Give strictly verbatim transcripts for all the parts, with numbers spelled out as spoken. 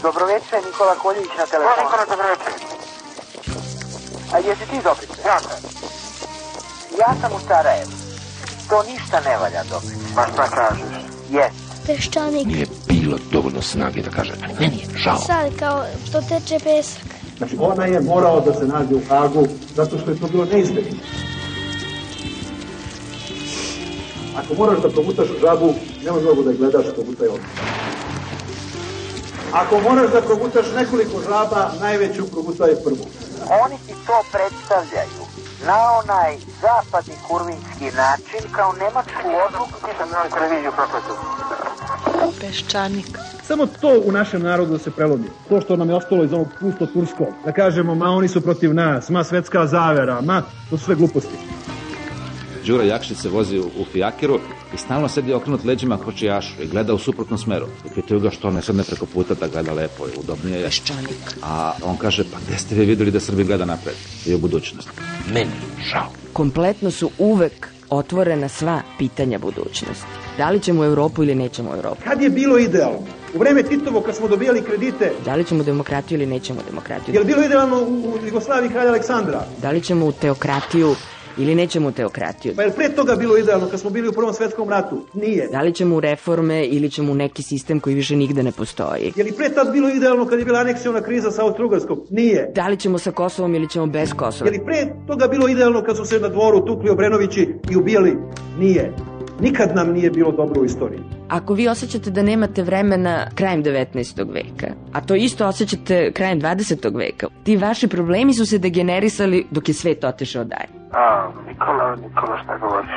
Dobroveče, Nikola Koljević na telefonu. Nikola, dobroveče. A jesi ti Dobrice? Ja sam. Ja sam u Sarajevu. To ništa ne valja, Dobrice. Pa šta kažeš? Jes. Peščanik. Nije bilo dovoljno snage da kaže, ali meni je žao. Sad kao što teče pesak. Znači, ona je morao da se nađe u Hagu zato što je to bilo neizbježno. Ako moraš da progutaš žabu, nema mnogo da je gledaš, progutaj odmah. Ako moraš da progutaš nekoliko žaba, najveću progutaj prvu. Oni ti to predstavljaju na onaj zapadni kurvinski način kao nemačku odluku. Ti sam na televiziju propratio. Peščanik. Samo to u našem narodu da se prelomi. To što nam je ostalo iz ovog pusto turskog. Da kažemo, ma oni su protiv nas, ma svetska zavera, ma, to su sve gluposti. Đura Jakšić se vozi u, u fijakeru i stalno sedi okrenut leđima kočijašu i gleda u suprotnom smeru. I pitaju ga što ne sedne preko puta da gleda lepo i udobnije je. Peščanik. A on kaže, pa gde ste vi videli da Srbi gleda napred i u budućnost? Meni žao. Kompletno su uvek otvorena sva pitanja budućnosti. Da li ćemo u Evropu ili nećemo u Evropu? Kad je bilo idealno? U vreme Titovo, kad smo dobijali kredite. Da li ćemo demokratiju ili nećemo demokratiju? Je li bilo idealno u Jugoslaviji kralja Aleksandra? Da li ćemo u teokratiju ili nećemo u teokratiju? Pa je li pre toga bilo idealno kad smo bili u Prvom svetskom ratu? Nije. Da li ćemo u reforme ili ćemo u neki sistem koji više nigde ne postoji? Je li pre tad bilo idealno kad je bila aneksiona kriza sa Austro-Ugarskom? Nije. Da li ćemo sa Kosovom ili ćemo bez Kosova? Je li pre toga bilo idealno kad su se na dvoru tukli Obrenovići i ubijali? Nije. Nikad nam nije bilo dobro u istoriji. Ako vi osjećate da nemate vremena krajem devetnaestog veka, a to isto osjećate krajem dvadesetog veka, ti vaši problemi su se degenerisali dok je svet otišao dalje. A, Nikola, Nikola, šta govoriš?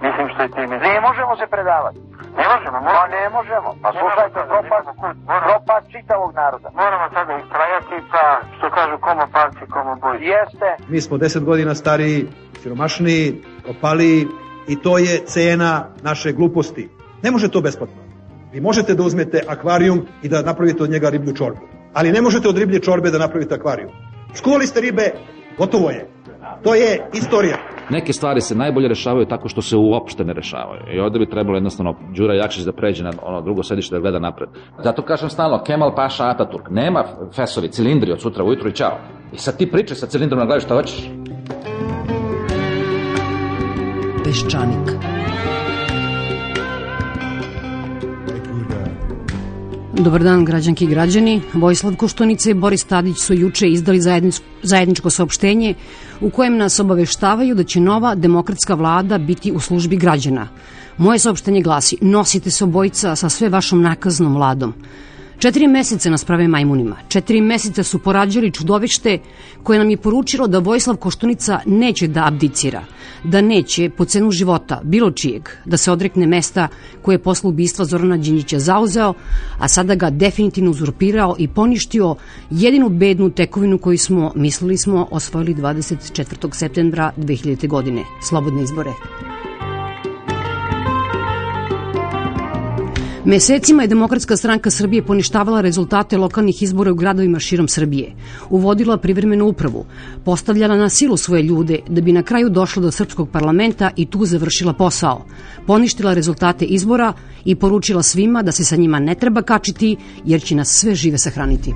Mislim što je ti misliš. Ne možemo se predavati. Ne možemo, Pa moramo. ne možemo. Pa slušajte, propad, propad čitavog naroda. Moramo sada istrajati, pa što kažu komo palci, komo boji. Jeste. Mi smo deset godina stariji, siromašniji, opaliji i to je cena naše gluposti. Ne može to besplatno. Vi možete da uzmete akvarijum i da napravite od njega riblju čorbu. Ali ne možete od riblje čorbe da napravite akvarijum. Skuvali ste ribe, gotovo je. To je istorija. Neke stvari se najbolje rešavaju tako što se uopšte ne rešavaju. I ovde bi trebalo jednostavno Đura Jakšić da pređe na ono drugo sedište da gleda napred. Zato kažem stalno, Kemal Paša Ataturk. Nema fesovi, cilindri od sutra ujutru i čao. I sad ti pričaj sa cilindrom na glavi šta hoćeš. Peščanik. Dobar dan, građanki i građani. Vojislav Koštunica i Boris Tadić su juče izdali zajedničko saopštenje u kojem nas obaveštavaju da će nova demokratska vlada biti u službi građana. Moje saopštenje glasi: nosite se obojica sa sve vašom nakaznom vladom. Četiri meseca nas prave majmunima. Četiri meseca su porađali čudovište koje nam je poručilo da Vojislav Koštunica neće da abdicira, da neće po cenu života bilo čijeg da se odrekne mesta koje je posle ubistva Zorana Đinđića zauzeo, a sada ga definitivno uzurpirao i poništio jedinu bednu tekovinu koju smo, mislili smo, osvojili dvadeset četvrtog septembra dve hiljadite. godine. Slobodne izbore. Mesecima je Demokratska stranka Srbije poništavala rezultate lokalnih izbora u gradovima širom Srbije, uvodila privremenu upravu, postavljala na silu svoje ljude da bi na kraju došla do srpskog parlamenta i tu završila posao, poništila rezultate izbora i poručila svima da se sa njima ne treba kačiti jer će nas sve žive sahraniti.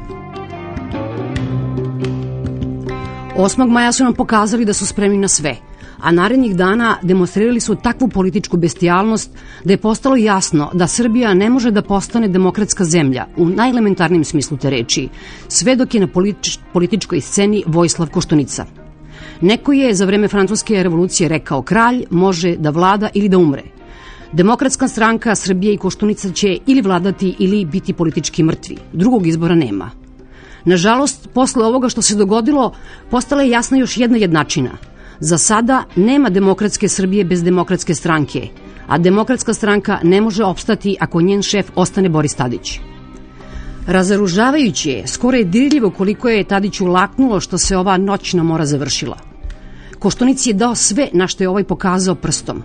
osmog maja su nam pokazali da su spremni na sve, a narednih dana demonstrirali su takvu političku bestijalnost da je postalo jasno da Srbija ne može da postane demokratska zemlja u najelementarnijem smislu te reči, sve dok je na politič, političkoj sceni Vojislav Koštunica. Neko je za vreme francuske revolucije rekao: kralj može da vlada ili da umre. Demokratska stranka Srbije i Koštunica će ili vladati ili biti politički mrtvi. Drugog izbora nema. Nažalost, posle ovoga što se dogodilo, postala je jasna još jedna jednačina. Za sada nema demokratske Srbije bez demokratske stranke, a demokratska stranka ne može opstati ako njen šef ostane Boris Tadić. Razoružavajuće je, skoro je dirljivo koliko je Tadiću laknulo što se ova noćna mora završila. Koštunici je dao sve na što je ovaj pokazao prstom.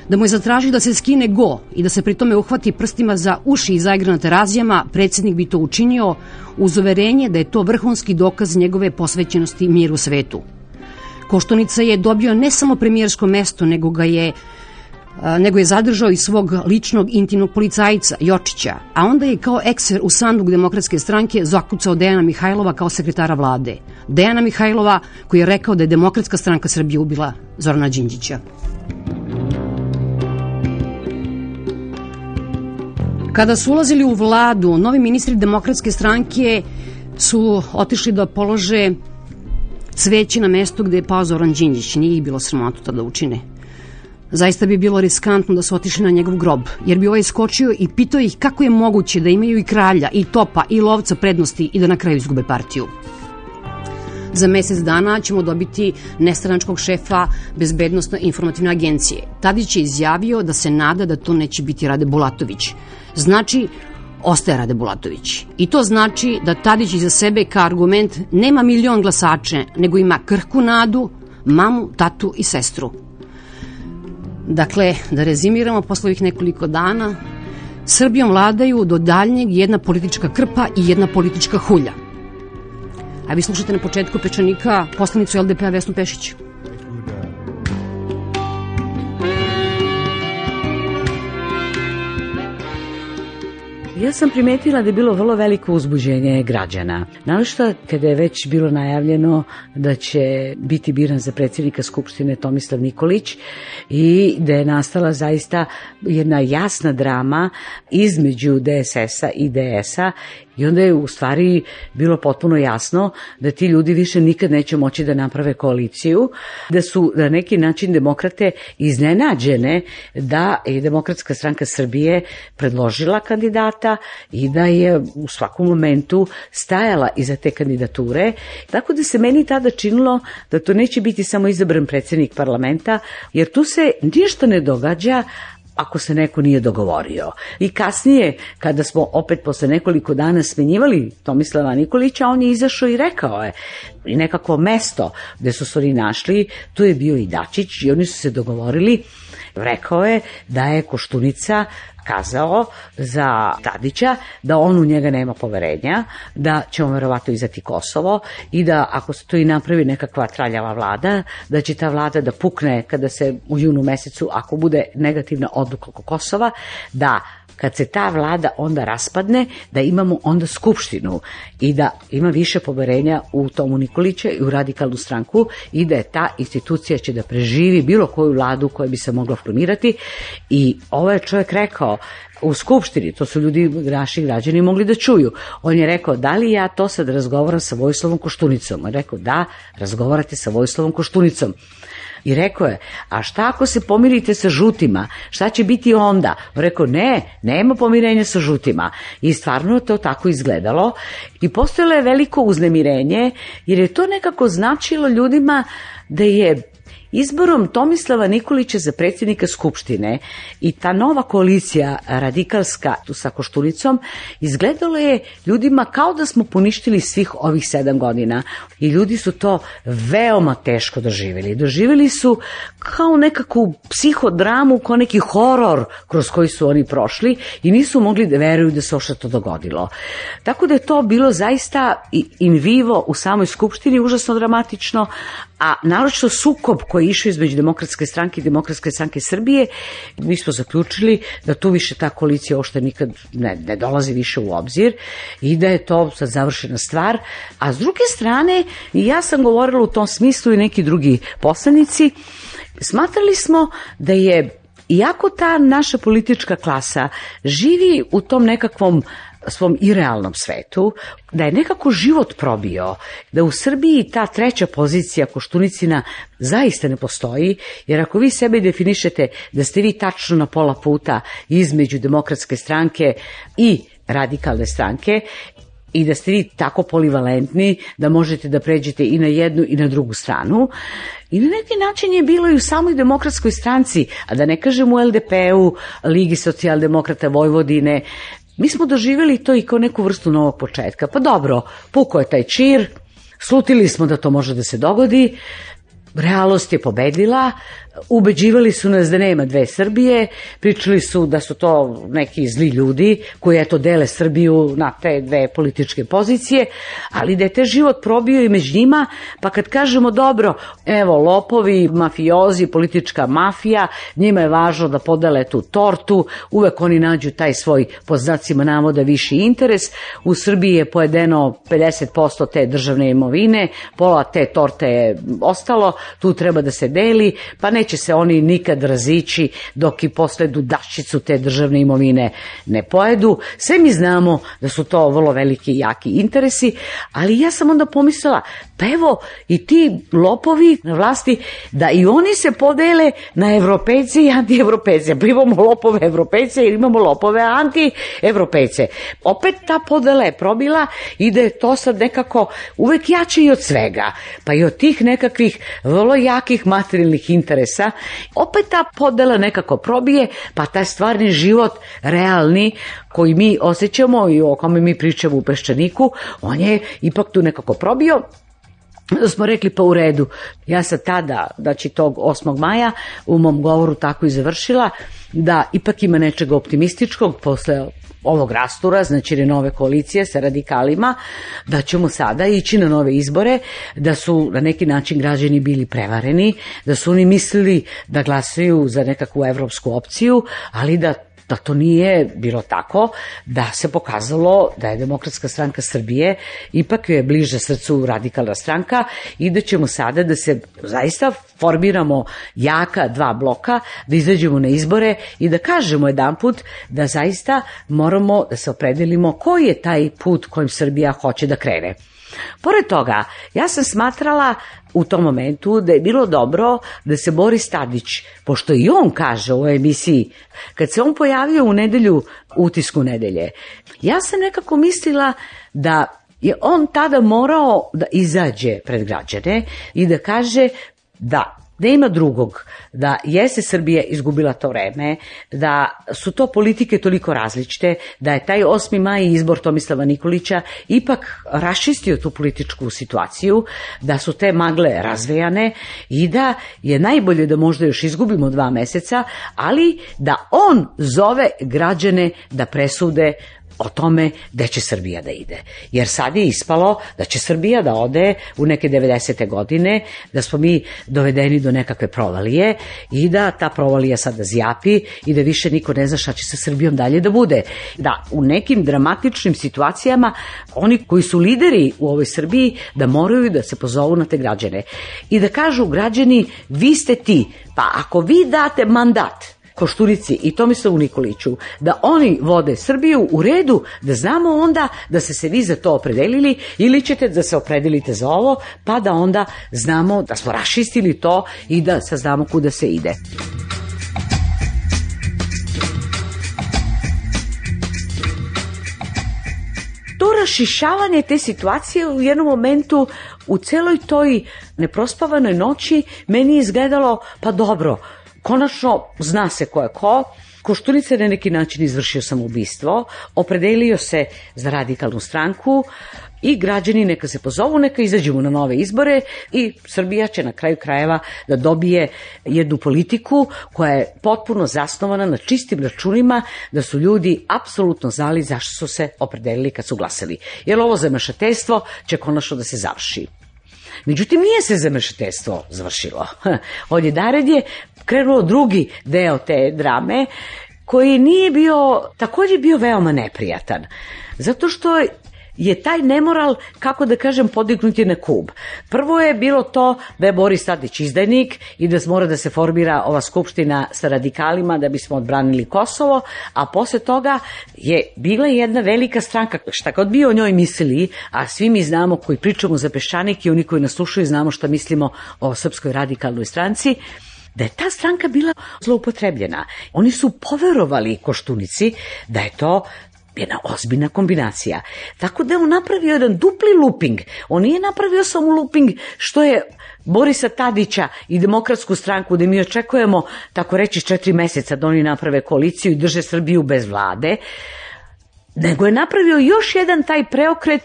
Da mu je zatražio da se skine go i da se pri tome uhvati prstima za uši i zaigra na terazijama, predsjednik bi to učinio uz uverenje da je to vrhunski dokaz njegove posvećenosti miru u svetu. Koštunica je dobio ne samo premijersko mesto, nego ga je nego je zadržao i svog ličnog intimnog policajca, Jočića, a onda je kao ekser u sanduk Demokratske stranke zakucao Dejana Mihajlova kao sekretara vlade. Dejana Mihajlova koji je rekao da je Demokratska stranka Srbije ubila Zorana Đinđića. Kada su ulazili u vladu, novi ministri Demokratske stranke su otišli da polože cveće na mesto gde je pao Zoran Đinđić. Nije ih bilo sramota to da učine. Zaista bi bilo riskantno da su otišli na njegov grob, jer bi ovaj skočio i pitao ih kako je moguće da imaju i kralja, i topa, i lovca prednosti i da na kraju izgube partiju. Za mesec dana ćemo dobiti nestranačkog šefa Bezbednosno-informativne agencije. Tadić je izjavio da se nada da to neće biti Rade Bulatović. Znači, ostaje Rade Bulatović. I to znači da Tadić iza sebe kao argument nema milion glasače, nego ima krhku nadu, mamu, tatu i sestru. Dakle, da rezimiramo posle ovih nekoliko dana, Srbijom vladaju do daljnjeg jedna politička krpa i jedna politička hulja. A vi slušate na početku Pečanika poslanicu L D P-a Vesnu Pešić. Ja sam primetila da je bilo vrlo veliko uzbuđenje građana. Naročito kada je već bilo najavljeno da će biti biran za predsjednika Skupštine Tomislav Nikolić i da je nastala zaista jedna jasna drama između D S S-a i D S-a. I onda je u stvari bilo potpuno jasno da ti ljudi više nikad neće moći da naprave koaliciju, da su na neki način demokrate iznenađene da je Demokratska stranka Srbije predložila kandidata i da je u svakom momentu stajala iza te kandidature. Tako da se meni tada činilo da to neće biti samo izabran predsjednik parlamenta, jer tu se ništa ne događa ako se neko nije dogovorio. I kasnije, kada smo opet posle nekoliko dana smenjivali Tomislava Nikolića, on je izašao i rekao je, i nekako mesto gde su se oni našli, tu je bio i Dačić i oni su se dogovorili. Rekao je da je Koštunica kazao za Tadića da on u njega nema poverenja, da će on verovatno izdati Kosovo i da ako se to i napravi nekakva traljava vlada, da će ta vlada da pukne kada se u junu mesecu, ako bude negativna odluka oko Kosova, da kad se ta vlada onda raspadne, da imamo onda skupštinu i da ima više poverenja u Tomu Nikolića i u Radikalnu stranku i da je ta institucija će da preživi bilo koju vladu koja bi se mogla formirati. I ovo je čovjek rekao u skupštini, to su ljudi, naši građani mogli da čuju. On je rekao, da li ja to sad razgovaram sa Vojislavom Koštunicom? On je rekao, da, razgovarate sa Vojislavom Koštunicom. I rekao je, a šta ako se pomirite sa žutima? Šta će biti onda? On rekao, ne, nema pomirenja sa žutima. I stvarno to tako izgledalo. I postojalo je veliko uznemirenje, jer je to nekako značilo ljudima da je izborom Tomislava Nikolića za predsjednika Skupštine i ta nova koalicija radikalska sa Koštunicom izgledalo je ljudima kao da smo poništili svih ovih sedam godina i ljudi su to veoma teško doživjeli. Doživjeli su kao nekakvu psihodramu, kao neki horor kroz koji su oni prošli i nisu mogli da veruju da se ošto to dogodilo. Tako da je to bilo zaista in vivo u samoj Skupštini, užasno dramatično, a naročito sukob koji je išao između Demokratske stranke i Demokratske stranke Srbije, mi smo zaključili da tu više ta koalicija ošte nikad ne, ne dolazi više u obzir i da je to sad završena stvar. A s druge strane, i ja sam govorila u tom smislu i neki drugi poslanici, smatrali smo da je, iako ta naša politička klasa živi u tom nekakvom svom irealnom svetu, da je nekako život probio, da u Srbiji ta treća pozicija Koštunicina zaista ne postoji, jer ako vi sebe definišete da ste vi tačno na pola puta između Demokratske stranke i Radikalne stranke, i da ste vi tako polivalentni da možete da pređete i na jednu i na drugu stranu. I na neki način je bilo i u samoj Demokratskoj stranci, a da ne kažem u L D P-u, Ligi socijaldemokrata Vojvodine. Mi smo doživjeli to i kao neku vrstu novog početka. Pa dobro, pukao je taj čir, slutili smo da to može da se dogodi, realnost je pobedila, Ubeđivali su nas da nema dve Srbije, pričali su da su to neki zli ljudi koji eto dele Srbiju na te dve političke pozicije, ali da je te život probio i među njima, pa kad kažemo dobro, evo lopovi, mafiozi, politička mafija, njima je važno da podele tu tortu, uvek oni nađu taj svoj pod znacima navoda viši interes. U Srbiji je pojedeno pedeset posto te državne imovine, pola te torte je ostalo, tu treba da se deli, pa neće se oni nikad razići dok i posle dudaščicu te državne imovine ne pojedu. Sve mi znamo da su to vrlo veliki i jaki interesi, ali ja sam onda pomislila, pa evo i ti lopovi na vlasti, da i oni se podele na evropejce i antievropejce. Pa imamo lopove evropejce i imamo lopove antievropejce. Opet ta podela je probila i da je to sad nekako uvek jače i od svega, pa i od tih nekakvih vrlo jakih materijalnih interesa. Opet ta podela nekako probije, pa taj stvarni život, realni, koji mi osjećamo i o kome mi pričamo u Peščaniku, on je ipak tu nekako probio. Da smo rekli pa u redu. Ja sam tada, znači tog osmog maja, u mom govoru tako i završila, da ipak ima nečega optimističkog posle ovog rastura, znači nove koalicije sa radikalima, da ćemo sada ići na nove izbore, da su na neki način građani bili prevareni, da su oni mislili da glasaju za nekakvu evropsku opciju, ali da da to nije bilo tako, da se pokazalo da je Demokratska stranka Srbije ipak je bliže srcu radikalna stranka i da ćemo sada da se zaista formiramo jaka dva bloka, da izađemo na izbore i da kažemo jedanput da zaista moramo da se opredelimo koji je taj put kojim Srbija hoće da krene. Pored toga, ja sam smatrala u tom momentu da je bilo dobro da se Boris Tadić, pošto i on kaže u ovoj emisiji, kad se on pojavio u nedelju, utisku nedelje, ja sam nekako mislila da je on tada morao da izađe pred građane i da kaže da nema drugog, da jeste Srbija izgubila to vreme, da su to politike toliko različite, da je taj osmi maj izbor Tomislava Nikolića ipak raščistio tu političku situaciju, da su te magle razvejane i da je najbolje da možda još izgubimo dva meseca, ali da on zove građane da presude o tome gde će Srbija da ide. Jer sad je ispalo da će Srbija da ode u neke devedesete godine, da smo mi dovedeni do nekakve provalije i da ta provalija sada zjapi i da više niko ne zna šta će sa Srbijom dalje da bude. Da u nekim dramatičnim situacijama oni koji su lideri u ovoj Srbiji da moraju da se pozovu na te građane i da kažu građani vi ste ti, pa ako vi date mandat Koštunici i Tomislavu Nikoliću da oni vode Srbiju u redu, da znamo onda da ste se vi za to opredelili ili ćete da se opredelite za ovo, pa da onda znamo da smo raščistili to i da saznamo kuda se ide. To rašišavanje te situacije u jednom momentu u celoj toj neprospavanoj noći meni je izgledalo pa dobro, konačno zna se ko je ko, Koštunica je na neki način izvršio samoubistvo, opredelio se za radikalnu stranku i građani neka se pozovu, neka izađemo na nove izbore i Srbija će na kraju krajeva da dobije jednu politiku koja je potpuno zasnovana na čistim računima, da su ljudi apsolutno znali zašto su se opredelili kad su glasali. Jer ovo zamešateljstvo će konačno da se završi. Međutim, nije se zamešateljstvo završilo. Od jedared je krenuo drugi deo te drame koji nije bio, također bio veoma neprijatan. Zato što je taj nemoral, kako da kažem, podignut je na kub. Prvo je bilo to da je Boris Tadić izdajnik i da mora da se formira ova skupština sa radikalima da bismo odbranili Kosovo, a posle toga je bila jedna velika stranka, šta god bi o njoj mislili, a svi mi znamo koji pričamo za Peščanik i oni koji nas slušaju znamo šta mislimo o Srpskoj radikalnoj stranci, da je ta stranka bila zloupotrebljena. Oni su poverovali Koštunici da je to jedna ozbiljna kombinacija. Tako da je on napravio jedan dupli looping. On nije napravio samo looping što je Borisa Tadića i Demokratsku stranku, da mi očekujemo, tako reći, četiri meseca da oni naprave koaliciju i drže Srbiju bez vlade. nego je napravio još jedan taj preokret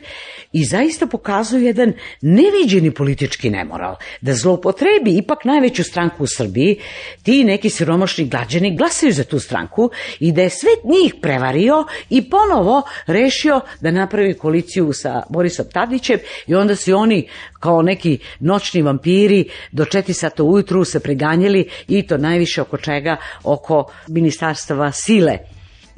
i zaista pokazuje jedan neviđeni politički nemoral, da zloupotrebi ipak najveću stranku u Srbiji, ti neki siromašni građani glasaju za tu stranku i da je sve njih prevario i ponovo rešio da napravi koaliciju sa Borisom Tadićem i onda su oni kao neki noćni vampiri do četiri sata ujutru se preganjali i to najviše oko čega? Oko ministarstava sile.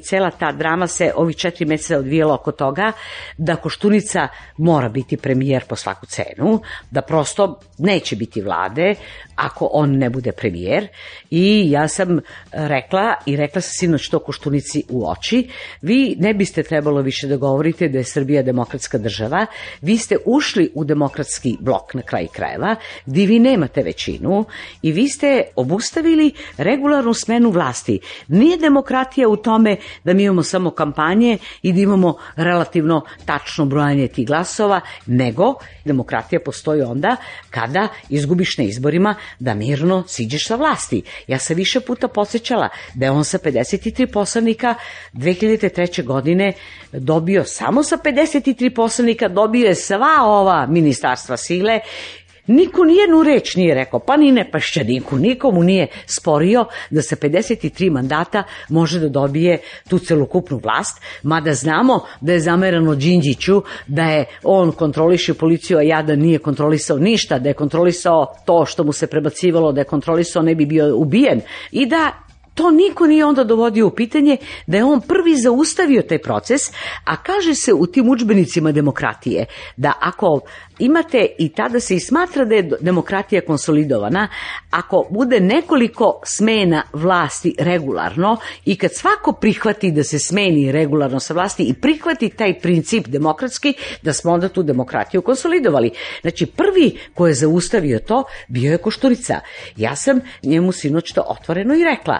Cela ta drama se ovih četiri meseca odvijela oko toga da Koštunica mora biti premijer po svaku cenu, da prosto neće biti vlade ako on ne bude premijer. I ja sam rekla i rekla sam sinoć to Koštunici u oči, vi ne biste trebalo više da govorite da je Srbija demokratska država, vi ste ušli u demokratski blok na kraj krajeva, gdje vi nemate većinu i vi ste obustavili regularnu smenu vlasti. Nije demokratija u tome da mi imamo samo kampanje i da imamo relativno tačno brojanje tih glasova, nego demokratija postoji onda kada izgubiš na izborima da mirno siđeš sa vlasti. Ja sam više puta podsjećala da je on sa pedeset tri poslanika dve hiljade treće. godine dobio, samo sa pedeset tri poslanika dobio je sva ova ministarstva sile. Niko nijednu reč nije rekao, pa ni ne Pašćaniku, nikomu nije sporio da sa pedeset tri mandata može da dobije tu celokupnu vlast, mada znamo da je zamerano Đinđiću, da je on kontroliše policiju, a Jadan nije kontrolisao ništa, da je kontrolisao to što mu se prebacivalo, da je kontrolisao ne bi bio ubijen i da to niko nije onda dovodio u pitanje, da je on prvi zaustavio taj proces, a kaže se u tim udžbenicima demokratije da ako imate, i tada se i smatra da je demokratija konsolidovana, ako bude nekoliko smena vlasti regularno i kad svako prihvati da se smeni regularno sa vlasti i prihvati taj princip demokratski, da smo onda tu demokratiju konsolidovali. Znači prvi ko je zaustavio to bio je Koštunica. Ja sam njemu sinoć to otvoreno i rekla.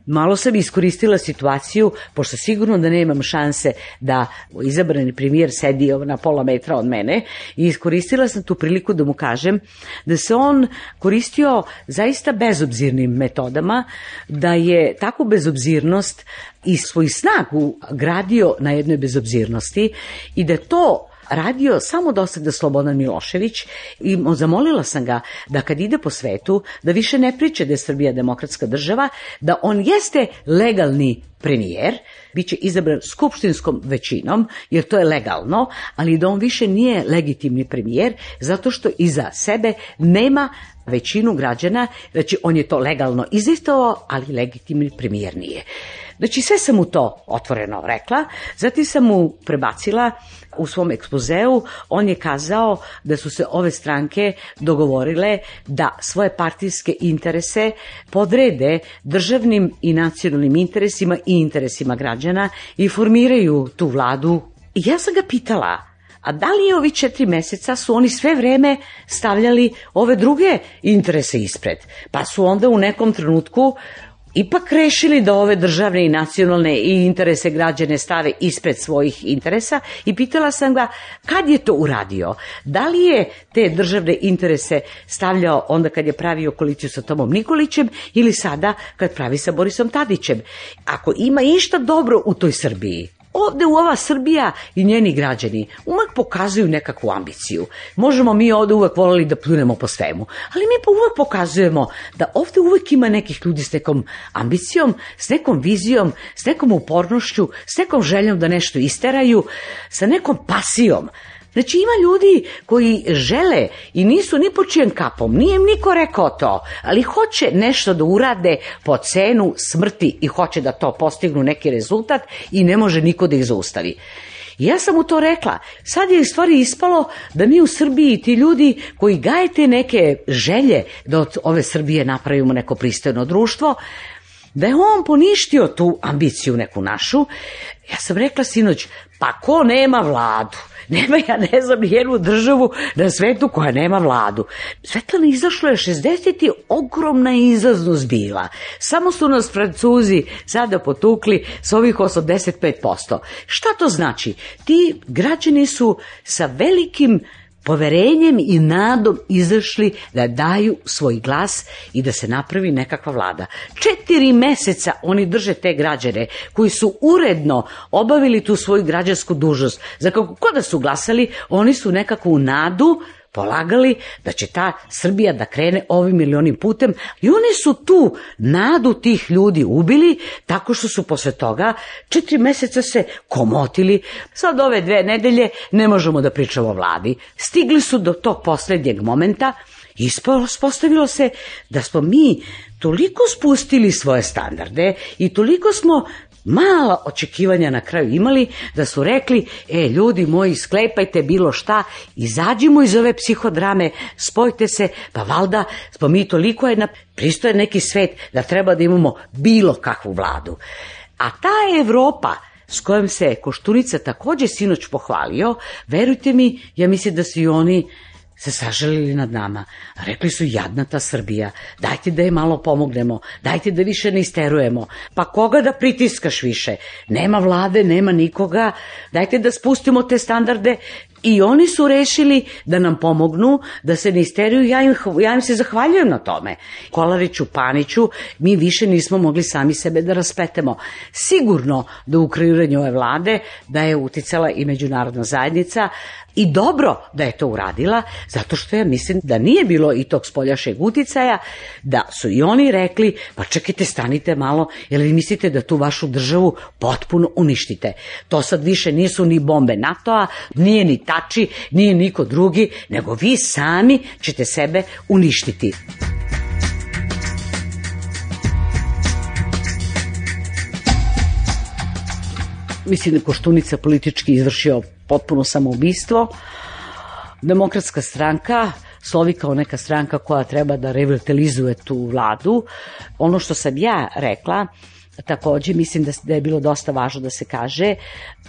Malo sam iskoristila situaciju, pošto sigurno da nemam šanse da izabrani premijer sedi na pola metra od mene, i iskoristila sam tu priliku da mu kažem da se on koristio zaista bezobzirnim metodama, da je takvu bezobzirnost i svoju snagu gradio na jednoj bezobzirnosti i da to radio samo do sada Slobodan Milošević i zamolila sam ga da kad ide po svetu da više ne priča da je Srbija demokratska država, da on jeste legalni premijer, bit će izabran skupštinskom većinom, jer to je legalno, ali da on više nije legitimni premijer, zato što iza sebe nema većinu građana, znači on je to legalno izistovao, ali legitimni premijer nije. Znači sve sam mu to otvoreno rekla, zatim sam mu prebacila u svom ekspozeu, on je kazao da su se ove stranke dogovorile da svoje partijske interese podrede državnim i nacionalnim interesima i interesima građana i formiraju tu vladu. I ja sam ga pitala, a da li je ovi četiri meseca su oni sve vreme stavljali ove druge interese ispred, pa su onda u nekom trenutku ipak rešili da ove državne i nacionalne i interese građane stave ispred svojih interesa, i pitala sam ga kad je to uradio, da li je te državne interese stavljao onda kad je pravio koaliciju sa Tomom Nikolićem ili sada kad pravi sa Borisom Tadićem. Ako ima išta dobro u toj Srbiji, ovde u ova Srbija i njeni građani uvek pokazuju nekakvu ambiciju. Možemo mi ovde uvek voleli da pljunemo po svemu, ali mi pa uvek pokazujemo da ovde uvek ima nekih ljudi s nekom ambicijom, s nekom vizijom, s nekom upornošću, s nekom željom da nešto isteraju, sa nekom pasijom. Znači ima ljudi koji žele i nisu ni po čijem kapom, nije im niko rekao to, ali hoće nešto da urade po cenu smrti i hoće da to postignu neki rezultat i ne može niko da ih zaustavi. I ja sam mu to rekla. Sad je u stvari ispalo da mi u Srbiji, ti ljudi koji gaje te neke želje da od ove Srbije napravimo neko pristojno društvo, da je on poništio tu ambiciju neku našu. Ja sam rekla sinoć, pa ko nema vladu? Nema, ja ne znam, nijednu državu na svetu koja nema vladu. Svetlana, izašlo je šezdeset je ogromna izlaznost bila. Samo su nas Francuzi sada potukli s ovih osamdeset pet posto. Šta to znači? Ti građani su sa velikim poverenjem i nadom izašli da daju svoj glas i da se napravi nekakva vlada. Četiri meseca oni drže te građane koji su uredno obavili tu svoju građansku dužnost. Za kako god da su glasali, oni su nekakvu nadu polagali da će ta Srbija da krene ovim ili onim putem i oni su tu nadu tih ljudi ubili tako što su posle toga četiri meseca se komotili. Sad ove dve nedelje ne možemo da pričamo o vladi. Stigli su do tog poslednjeg momenta i ispostavilo se da smo mi toliko spustili svoje standarde i toliko smo mala očekivanja na kraju imali da su rekli, e ljudi moji, sklepajte bilo šta, izađimo iz ove psihodrame, spojite se, pa valda smo mi toliko jedna pristoje neki svet da treba da imamo bilo kakvu vladu. A ta Evropa s kojom se Koštunica takođe sinoć pohvalio, verujte mi, ja mislim da su i oni se sažalili nad nama. Rekli su, jadna ta Srbija, dajte da je malo pomognemo, dajte da više ne isterujemo. Pa koga da pritiskaš više? Nema vlade, nema nikoga, dajte da spustimo te standarde. I oni su rešili da nam pomognu, da se ne isteruju, ja im, ja im se zahvaljujem na tome. Kolariću, Paniću, mi više nismo mogli sami sebe da raspletemo. Sigurno da u kreiranju ove vlade da je uticala i međunarodna zajednica i dobro da je to uradila, zato što ja mislim da nije bilo i tog spoljašnjeg uticaja, da su i oni rekli, pa čekajte, stanite malo, jer vi mislite da tu vašu državu potpuno uništite. To sad više nisu ni bombe NATO-a, nije ni Tači, nije niko drugi, nego vi sami ćete sebe uništiti. Mislim da Koštunica politički izvršio potpuno samoubistvo. Demokratska stranka slovi kao neka stranka koja treba da revitalizuje tu vladu. Ono što sam ja rekla, takođe mislim da je bilo dosta važno da se kaže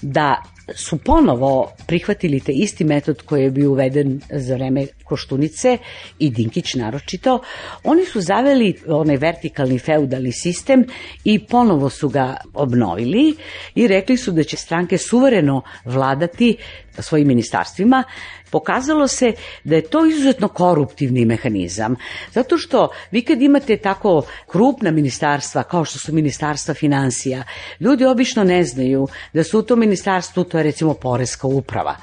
da su ponovo prihvatili te isti metod koji je bio uveden za vreme Koštunice i Dinkić naročito. Oni su zaveli onaj vertikalni feudalni sistem i ponovo su ga obnovili i rekli su da će stranke suvereno vladati svojim ministarstvima. Pokazalo se da je to izuzetno koruptivni mehanizam, zato što vi kad imate tako krupna ministarstva kao što su ministarstva finansija, ljudi obično ne znaju da su u tom ministarstvu, to je recimo poreska uprava,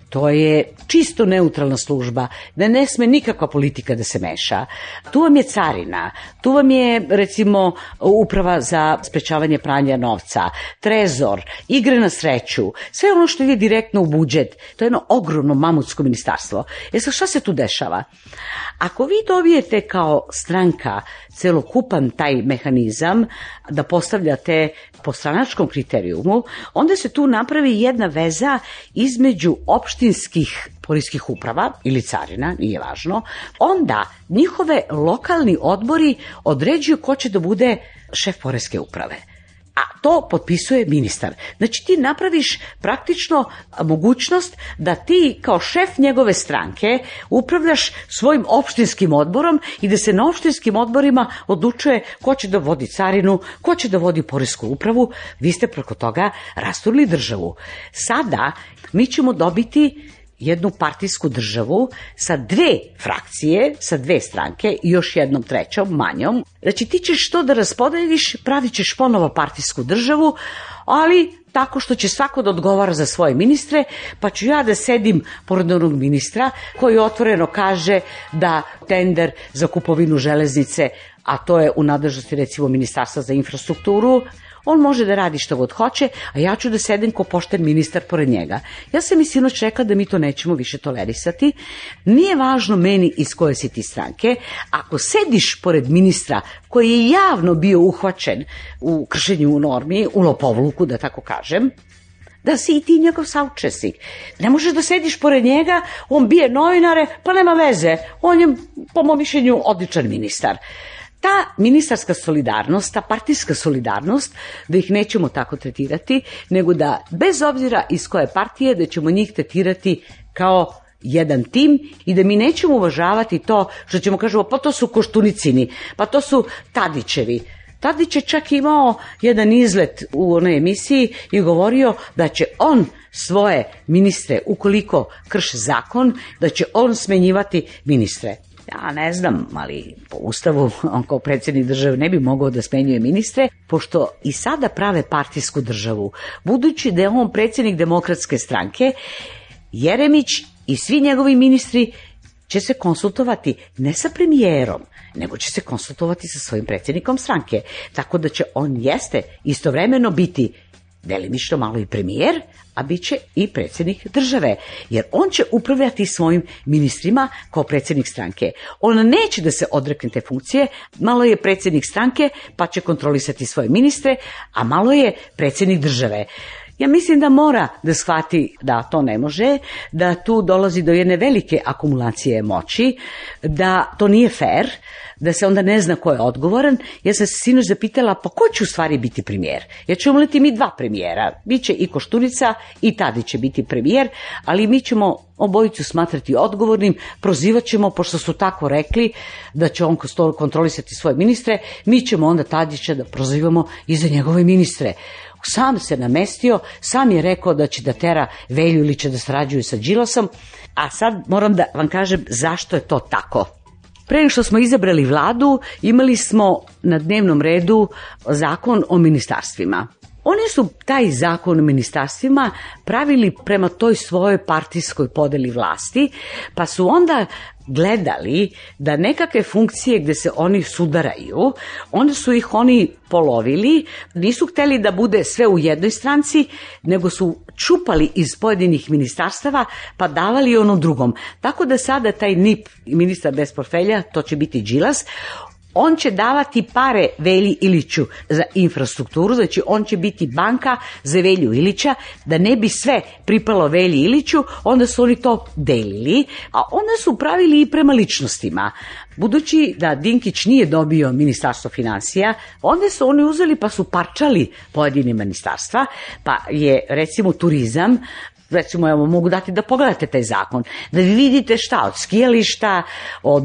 to je čisto neutralna služba, da ne sme nikakva politika da se meša. Tu vam je carina, tu vam je recimo uprava za sprečavanje pranja novca, trezor, igre na sreću, sve ono što ide direktno u budžet. To je jedno ogromno mamutsko ministarstvo. E sad šta se tu dešava? Ako vi dobijete kao stranka celokupan taj mehanizam da postavljate po stranačkom kriterijumu, onda se tu napravi jedna veza između opštinskih poreskih uprava ili carina, nije važno, onda njihove lokalni odbori određuju ko će da bude šef poreske uprave. A to potpisuje ministar. Znači ti napraviš praktično mogućnost da ti kao šef njegove stranke upravljaš svojim opštinskim odborom i da se na opštinskim odborima odlučuje ko će da vodi carinu, ko će da vodi poresku upravu. Vi ste preko toga rasturili državu. Sada mi ćemo dobiti jednu partijsku državu sa dve frakcije, sa dve stranke i još jednom trećom, manjom. Znači ti ćeš to da raspodeliš, pravit ćeš ponovo partijsku državu, ali tako što će svako da odgovara za svoje ministre, pa ću ja da sedim pored onog ministra koji otvoreno kaže da tender za kupovinu železnice, a to je u nadležnosti recimo Ministarstva za infrastrukturu, on može da radi što god hoće, a ja ću da sedem ko pošten ministar pored njega. Ja sam i sinoć rekla da mi to nećemo više tolerisati. Nije važno meni iz koje si ti stranke. Ako sediš pored ministra koji je javno bio uhvaćen u kršenju normi, u lopovluku, da tako kažem, da si i ti njegov saučesnik. Ne možeš da sediš pored njega, on bije novinare, pa nema veze. On je, po mom mišljenju, odličan ministar. Ta ministarska solidarnost, ta partijska solidarnost, da ih nećemo tako tretirati, nego da bez obzira iz koje partije, da ćemo njih tretirati kao jedan tim i da mi nećemo uvažavati to što ćemo kažemo pa to su Koštunicini, pa to su Tadićevi. Tadić je čak imao jedan izlet u onoj emisiji i govorio da će on svoje ministre ukoliko krše zakon, da će on smenjivati ministre. Ja ne znam, ali po ustavu on kao predsjednik države ne bi mogao da smenjuje ministre, pošto i sada prave partijsku državu. Budući da je on predsjednik Demokratske stranke, Jeremić i svi njegovi ministri će se konsultovati ne sa premijerom, nego će se konsultovati sa svojim predsjednikom stranke. Tako da će on jeste istovremeno biti delimično malo i premijer, a bit će i predsjednik države, jer on će upravljati svojim ministrima kao predsjednik stranke. On neće da se odrekne te funkcije, malo je predsjednik stranke pa će kontrolisati svoje ministre, a malo je predsjednik države. Ja mislim da mora da shvati da to ne može, da tu dolazi do jedne velike akumulacije moći, da to nije fair, da se onda ne zna ko je odgovoran. Ja sam se sinoć zapitala, pa ko će u stvari biti premijer? Jer ćemo imati mi dva premijera. Biće i Koštunica i Tadić će biti premijer, ali mi ćemo obojicu smatrati odgovornim, prozivat ćemo, pošto su tako rekli da će on kontrolisati svoje ministre, mi ćemo onda Tadića da prozivamo i za njegove ministre. Sam se namestio, sam je rekao da će da tera Velju Ilića da sarađuju sa Đilasom, a sad moram da vam kažem zašto je to tako. Pre nego što smo izabrali vladu, imali smo na dnevnom redu zakon o ministarstvima. Oni su taj zakon o ministarstvima pravili prema toj svojoj partijskoj podeli vlasti, pa su onda gledali da nekakve funkcije gde se oni sudaraju, onda su ih oni polovili, nisu hteli da bude sve u jednoj stranci, nego su čupali iz pojedinih ministarstava pa davali onom drugom. Tako da sada taj N I P, ministar bez portfelja, to će biti Đilas, on će davati pare Velji Iliću za infrastrukturu, znači on će biti banka za Velju Ilića, da ne bi sve pripalo Velji Iliću, onda su oni to delili, a onda su pravili i prema ličnostima. Budući da Dinkić nije dobio ministarstvo finansija, onda su oni uzeli pa su parčali pojedine ministarstva, pa je recimo turizam, recimo, evo, mogu dati da pogledate taj zakon, da vi vidite šta, od skijališta, od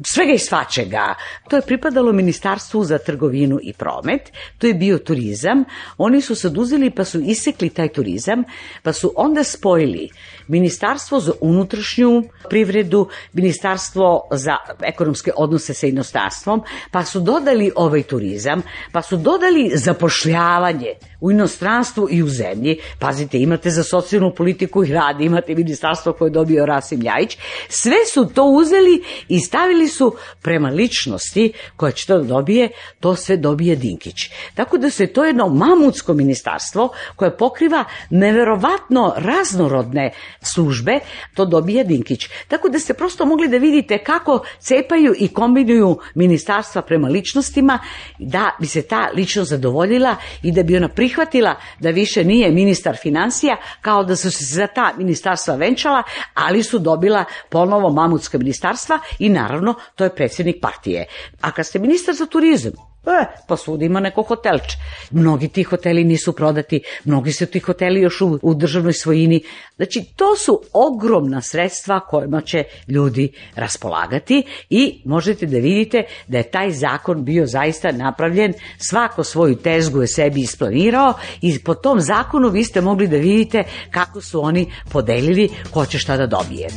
svega i svačega. To je pripadalo Ministarstvu za trgovinu i promet, to je bio turizam, oni su sad uzeli pa su isekli taj turizam, pa su onda spojili Ministarstvo za unutrašnju privredu, Ministarstvo za ekonomske odnose sa inostranstvom, pa su dodali ovaj turizam, pa su dodali zapošljavanje u inostranstvu i u zemlji. Pazite, imate za socijalnu politiku i rad, imate ministarstvo koje je dobio Rasim Ljajić. Sve su to uzeli i stavili su prema ličnosti koja će to da dobije, to sve dobije Dinkić. Tako da se to jedno mamutsko ministarstvo koje pokriva neverovatno raznorodne službe, to dobije Dinkić. Tako da ste prosto mogli da vidite kako cepaju i kombinuju ministarstva prema ličnostima, da bi se ta ličnost zadovoljila i da bi ona prihvatila da više nije ministar finansija, kao da su se za ta ministarstva venčala, ali su dobila ponovo mamutska ministarstva i naravno to je predsjednik partije. A kad ste ministar za turizam, E, pa svud ima neko hotelče. Mnogi ti hoteli nisu prodati, mnogi su ti hoteli još u, u državnoj svojini. Znači, to su ogromna sredstva kojima će ljudi raspolagati i možete da vidite da je taj zakon bio zaista napravljen, svako svoju tezgu je sebi isplanirao i po tom zakonu vi ste mogli da vidite kako su oni podelili ko će šta da dobije.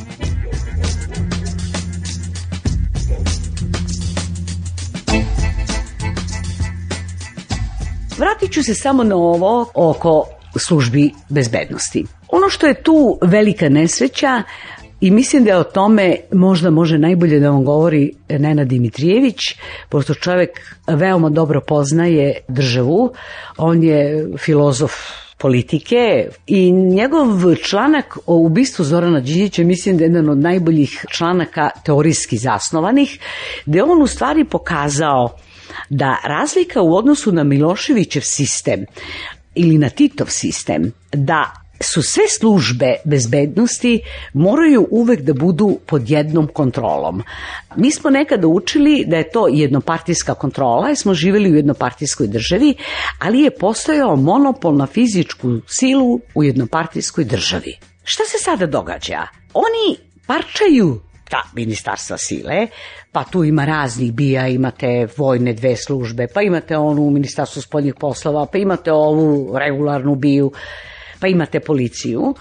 Vratit ću se samo na ovo oko službi bezbednosti. Ono što je tu velika nesreća i mislim da o tome možda može najbolje da vam govori Nenad Dimitrijević, pošto čovjek veoma dobro poznaje državu, on je filozof politike i njegov članak o ubistvu Zorana Đinđića mislim da je jedan od najboljih članaka teorijski zasnovanih, gde on u stvari pokazao da razlika u odnosu na Miloševićev sistem ili na Titov sistem, da su sve službe bezbednosti moraju uvek da budu pod jednom kontrolom. Mi smo nekada učili da je to jednopartijska kontrola, jer smo živjeli u jednopartijskoj državi, ali je postojao monopol na fizičku silu u jednopartijskoj državi. Šta se sada događa? Oni parčaju ta ministarstva sile, pa tu ima raznih bija, imate vojne dve službe, pa imate onu u ministarstvu spoljnih poslova, pa imate ovu regularnu biju. pa imate policiju,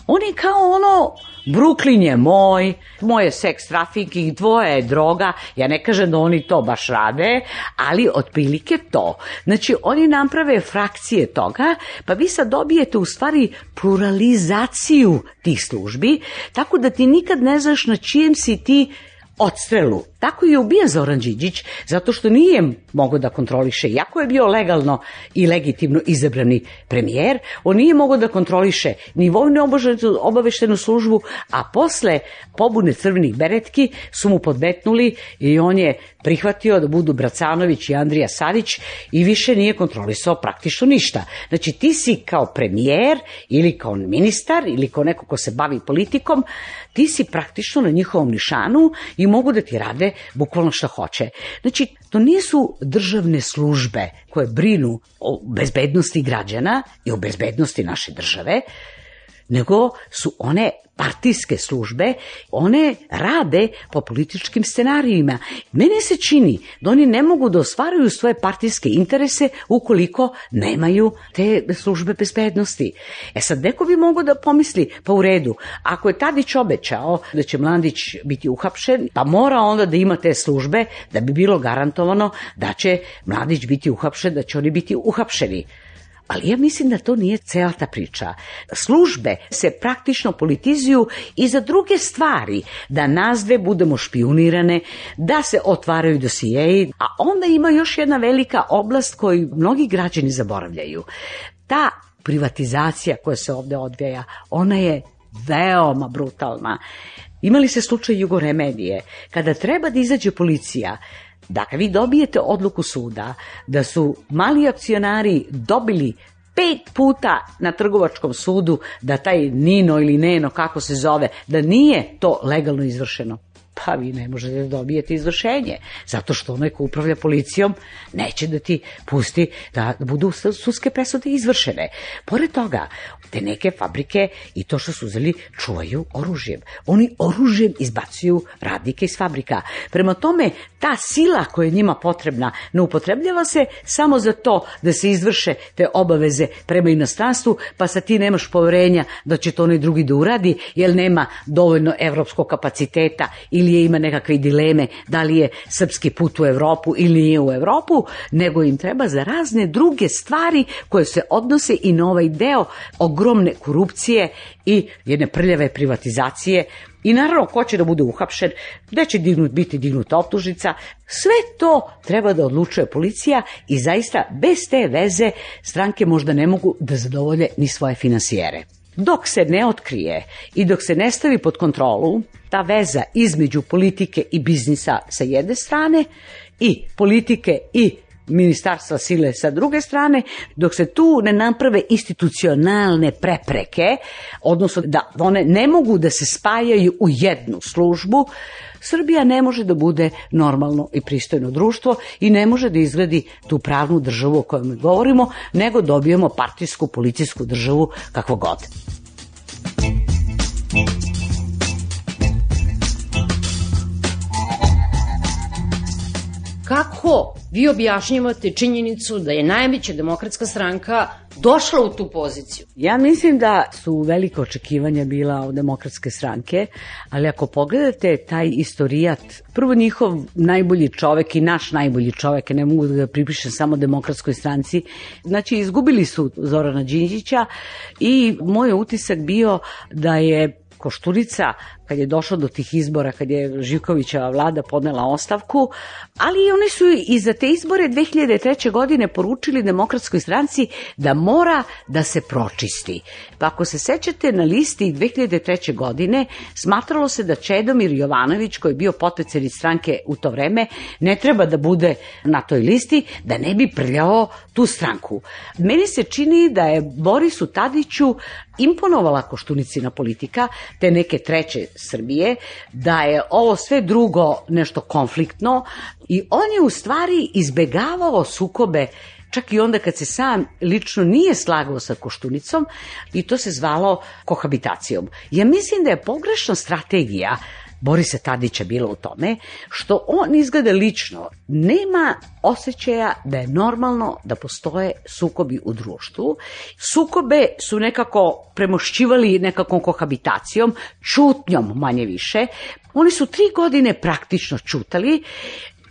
oni kao ono, Brooklyn je moj, moj je seks trafficking, tvoja je droga, ja ne kažem da oni to baš rade, ali otprilike to. Znači, oni naprave frakcije toga, pa vi sad dobijete u stvari pluralizaciju tih službi, tako da ti nikad ne znaš na čijem si ti odstrelu. Tako je ubijen Zoran Đinđić, zato što nije mogao da kontroliše, iako je bio legalno i legitimno izabrani premijer, on nije mogao da kontroliše ni vojnu obaveštenu službu, a posle pobune crvenih beretki su mu podmetnuli i on je prihvatio da budu Bracanović i Andrija Savić i više nije kontrolisao praktično ništa. Znači ti si kao premijer ili kao ministar ili kao neko ko se bavi politikom, ti si praktično na njihovom nišanu i mogu da ti rade bukvalno šta hoće. Znači, to nisu državne službe koje brinu o bezbednosti građana i o bezbednosti naše države, nego su one partijske službe, one rade po političkim scenarijima. Mene se čini da oni ne mogu da ostvaruju svoje partijske interese ukoliko nemaju te službe bezbednosti. E sad, neko bi mogao da pomisli, pa u redu, ako je Tadić obećao da će Mladić biti uhapšen, pa mora onda da ima te službe da bi bilo garantovano da će Mladić biti uhapšen, da će oni biti uhapšeni. Ali ja mislim da to nije cela ta priča. Službe se praktično politizuju i za druge stvari, da nas dve budemo špijunirane, da se otvaraju dosijeji, a onda ima još jedna velika oblast koju mnogi građani zaboravljaju. Ta privatizacija koja se ovde odvija, ona je veoma brutalna. Imali se slučaj Jugoremedije, kada treba da izađe policija. Dakle, vi dobijete odluku suda da su mali akcionari dobili pet puta na trgovačkom sudu da taj Nino ili Neno, kako se zove, da nije to legalno izvršeno. Pa vi ne možete da dobijete izvršenje, zato što onaj ko upravlja policijom neće da ti pusti da budu sudske presude izvršene. Pored toga, te neke fabrike i to što su uzeli čuvaju oružjem. Oni oružjem izbacuju radnike iz fabrika. Prema tome, ta sila koja je njima potrebna ne upotrebljava se samo za to da se izvrše te obaveze prema inostranstvu, pa sad ti nemaš poverenja da će to onaj drugi da uradi, jer nema dovoljno evropskog kapaciteta ili je ima nekakve dileme da li je srpski put u Evropu ili nije u Evropu, nego im treba za razne druge stvari koje se odnose i na ovaj deo ogromne korupcije i jedne prljave privatizacije. I naravno, ko će da bude uhapšen, gde će dignut, biti dignuta optužnica, sve to treba da odlučuje policija i zaista bez te veze stranke možda ne mogu da zadovolje ni svoje finansijere. Dok se ne otkrije i dok se ne stavi pod kontrolu ta veza između politike i biznisa sa jedne strane i politike i ministarstva sile sa druge strane, dok se tu ne naprave institucionalne prepreke, odnosno da one ne mogu da se spajaju u jednu službu, Srbija ne može da bude normalno i pristojno društvo i ne može da izgradi tu pravnu državu o kojoj mi govorimo, nego dobijemo partijsku, policijsku državu kakvo god. Kako vi objašnjavate činjenicu da je najveća demokratska stranka došla u tu poziciju? Ja mislim da su velike očekivanja bila od demokratske stranke, ali ako pogledate taj istorijat, prvo njihov najbolji čovek i naš najbolji čovek, ne mogu da ga pripišem samo demokratskoj stranci, znači izgubili su Zorana Đinđića i moj utisak bio da je Koštunica, kad je došlo do tih izbora, kad je Živkovićeva vlada podnela ostavku, ali oni su i za te izbore dve hiljade treće. godine poručili demokratskoj stranci da mora da se pročisti. Pa ako se sećate, na listi dve hiljade treće. godine smatralo se da Čedomir Jovanović, koji je bio potpredsednik stranke u to vreme, ne treba da bude na toj listi, da ne bi prljao tu stranku. Meni se čini da je Borisu Tadiću imponovala Koštunicina politika, te neke treće Srbije, da je ovo sve drugo nešto konfliktno i on je u stvari izbegavao sukobe čak i onda kad se sam lično nije slagao sa Koštunicom i to se zvalo kohabitacijom. Ja mislim da je pogrešna strategija Borisa Tadića bilo u tome što on izgleda lično nema osjećaja da je normalno da postoje sukobi u društvu. Sukobe su nekako premošćivali nekakvom kohabitacijom, čutnjom manje više. Oni su tri godine praktično čutali.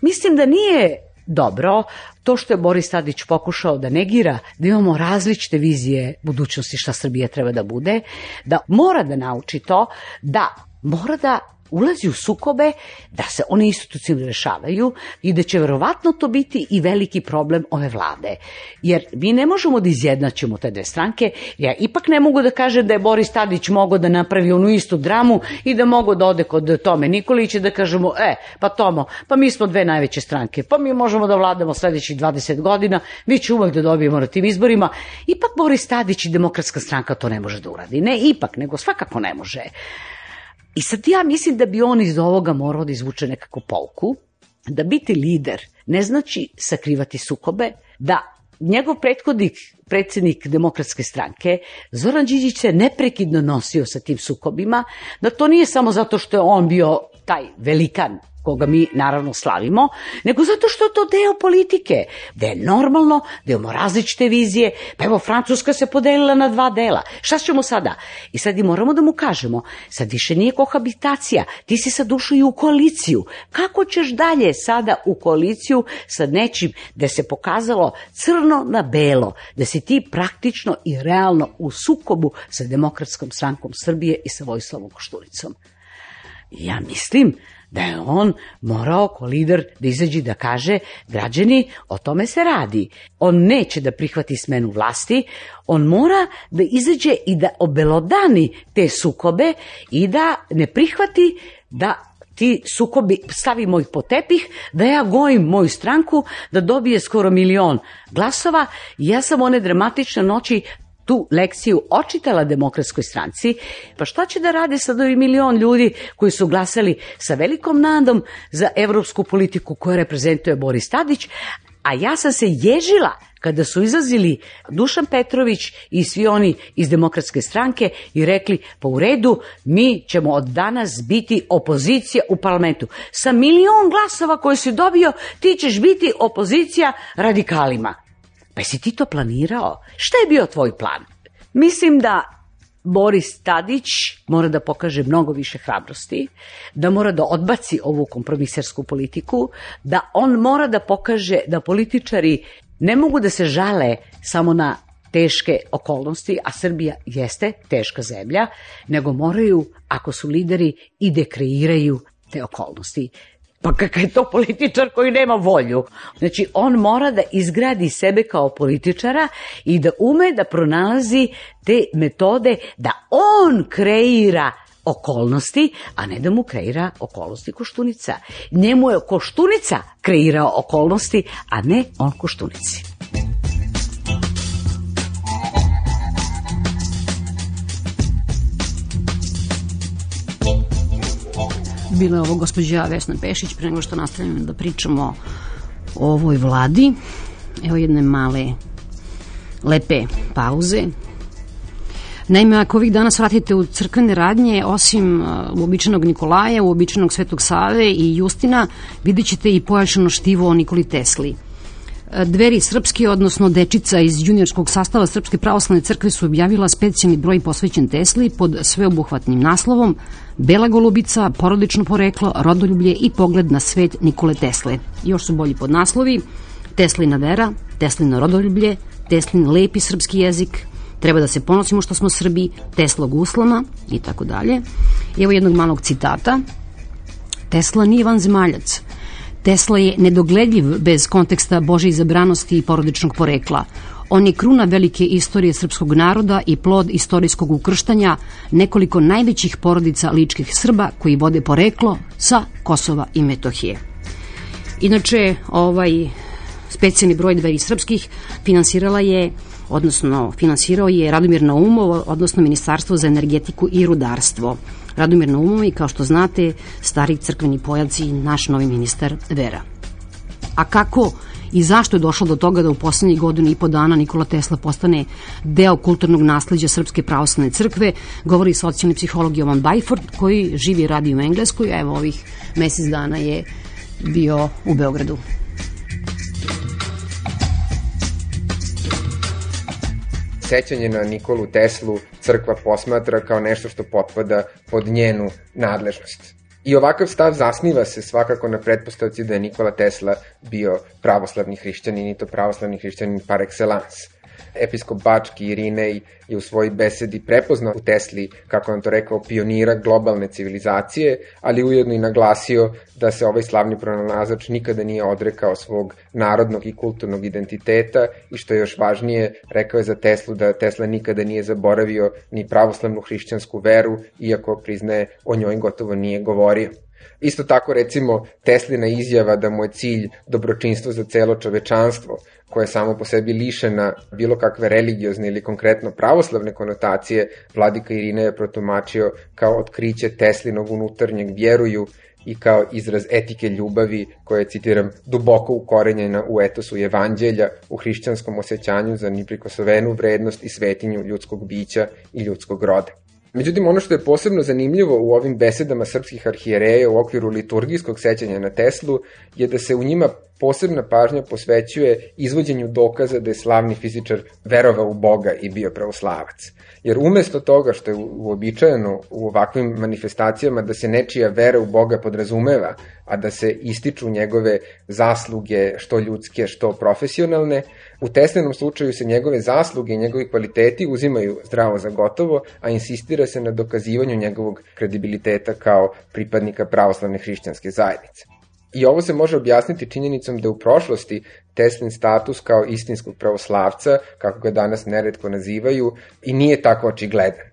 Mislim da nije dobro to što je Boris Tadić pokušao da negira, da imamo različite vizije budućnosti šta Srbija treba da bude, da mora da nauči to, da mora da ulazi u sukobe, da se one institucionalno rešavaju i da će verovatno to biti i veliki problem ove vlade. Jer mi ne možemo da izjednačimo te dve stranke. Ja ipak ne mogu da kažem da je Boris Tadić mogao da napravi onu istu dramu i da mogu da ode kod Tome Nikolića da kažemo, e, pa Tomo, pa mi smo dve najveće stranke, pa mi možemo da vladamo sledećih dvadeset godina, mi će uvek da dobijemo na tim izborima. Ipak Boris Tadić i Demokratska stranka to ne može da uradi. Ne ipak, nego svakako ne može. I sad ja mislim da bi on iz ovoga morao da izvuče nekako pouku, da biti lider ne znači sakrivati sukobe, da njegov prethodnik, predsjednik Demokratske stranke, Zoran Đinđić se neprekidno nosio sa tim sukobima, da to nije samo zato što je on bio taj velikan koga mi naravno slavimo, nego zato što je to deo politike, da je normalno, da imamo različite vizije, pa evo Francuska se podelila na dva dela, šta ćemo sada? I sad i moramo da mu kažemo, sad više nije kohabitacija, ti si sad ušao i u koaliciju, kako ćeš dalje sada u koaliciju sa nečim da se pokazalo crno na belo, da si ti praktično i realno u sukobu sa Demokratskom strankom Srbije i sa Vojislavom Koštunicom. Ja mislim da je on morao ko lider da izađe da kaže, građani, o tome se radi. On neće da prihvati smenu vlasti, on mora da izađe i da obelodani te sukobe i da ne prihvati da ti sukobi, stavimo ih pod tepih, da ja gojim moju stranku, da dobije skoro milion glasova. Ja sam one dramatične noći tu lekciju očitala Demokratskoj stranci, pa šta će da rade sad ovi milion ljudi koji su glasali sa velikom nadom za evropsku politiku koju reprezentuje Boris Tadić, a ja sam se ježila kada su izlazili Dušan Petrović i svi oni iz Demokratske stranke i rekli, pa u redu, mi ćemo od danas biti opozicija u parlamentu. Sa milion glasova koje si dobio, ti ćeš biti opozicija radikalima. Pa jesi ti to planirao? Šta je bio tvoj plan? Mislim da Boris Tadić mora da pokaže mnogo više hrabrosti, da mora da odbaci ovu kompromisersku politiku, da on mora da pokaže da političari ne mogu da se žale samo na teške okolnosti, a Srbija jeste teška zemlja, nego moraju, ako su lideri, i da kreiraju te okolnosti. Pa kakav je to političar koji nema volju? Znači, on mora da izgradi sebe kao političara i da ume da pronalazi te metode da on kreira okolnosti, a ne da mu kreira okolnosti Koštunica. Njemu je Koštunica kreirao okolnosti, a ne on Koštunici. Bila je ovo gospođa Vesna Pešić, pre nego što nastavljamo da pričamo o ovoj vladi. Evo jedne male, lepe pauze. Naime, ako ovih danas vratite u crkvene radnje, osim uobičajenog Nikolaja, uobičajenog Svetog Save i Justina, vidjet ćete i pojačano štivo o Nikoli Tesli. Dveri Srpske, odnosno dečica iz juniorskog sastava Srpske pravoslavne crkve su objavila specijalni broj posvećen Tesli pod sveobuhvatnim naslovom Bela golubica, porodično poreklo, rodoljublje i pogled na svet Nikole Tesle. Još su bolji podnaslovi: Teslina vera, Teslino rodoljublje, Teslin lepi srpski jezik, treba da se ponosimo što smo Srbi, Teslog uslama i tako dalje. Evo jednog malog citata. Tesla nije vanzemaljac. Tesla je nedogledljiv bez konteksta Božje izabranosti i porodičnog porekla. On je kruna velike istorije srpskog naroda i plod istorijskog ukrštanja nekoliko najvećih porodica ličkih Srba koji vode poreklo sa Kosova i Metohije. Inače, ovaj specijalni broj Dveri srpskih finansirala je, odnosno finansirao je Radomir Naumov, odnosno Ministarstvo za energetiku i rudarstvo. Radomir Naumov, kao što znate, stari crkveni pojac i naš novi ministar vera. A kako i zašto je došlo do toga da u poslednjih godinu i po dana Nikola Tesla postane deo kulturnog nasleđa Srpske pravoslavne crkve, govori socijalni psiholog Jovan Bajford, koji živi i radi u Engleskoj, a evo ovih mesec dana je bio u Beogradu. Sećanje na Nikolu Teslu crkva posmatra kao nešto što potpada pod njenu nadležnost. I ovakav stav zasniva se svakako na pretpostavci da je Nikola Tesla bio pravoslavni hrišćanin i to pravoslavni hrišćanin par excellence. Episkop Bački Irinej je u svojoj besedi prepoznao u Tesli, kako on to rekao, pionira globalne civilizacije, ali ujedno i naglasio da se ovaj slavni pronalazač nikada nije odrekao svog narodnog i kulturnog identiteta i što je još važnije, rekao je za Teslu da Tesla nikada nije zaboravio ni pravoslavnu hrišćansku veru, iako priznaje o njoj gotovo nije govorio. Isto tako, recimo, Teslina izjava da mu je cilj dobročinstvo za celo čovečanstvo, koja je samo po sebi lišena bilo kakve religiozne ili konkretno pravoslavne konotacije, vladika Irinej je protumačio kao otkriće Teslinog unutarnjeg vjeruju i kao izraz etike ljubavi koja je, citiram, duboko ukorenjena u etosu evanđelja, u hrišćanskom osjećanju za neprikosnovenu vrednost i svetinju ljudskog bića i ljudskog roda. Međutim, ono što je posebno zanimljivo u ovim besedama srpskih arhijereja u okviru liturgijskog sećanja na Teslu je da se u njima posebna pažnja posvećuje izvođenju dokaza da je slavni fizičar verovao u Boga i bio pravoslavac. Jer umesto toga što je uobičajeno u ovakvim manifestacijama da se nečija vera u Boga podrazumeva, a da se ističu njegove zasluge što ljudske, što profesionalne, u Teslinom slučaju se njegove zasluge i njegovi kvaliteti uzimaju zdravo za gotovo, a insistira se na dokazivanju njegovog kredibiliteta kao pripadnika pravoslavne hrišćanske zajednice. I ovo se može objasniti činjenicom da u prošlosti Teslin status kao istinskog pravoslavca, kako ga danas neretko nazivaju, i nije tako očigledan.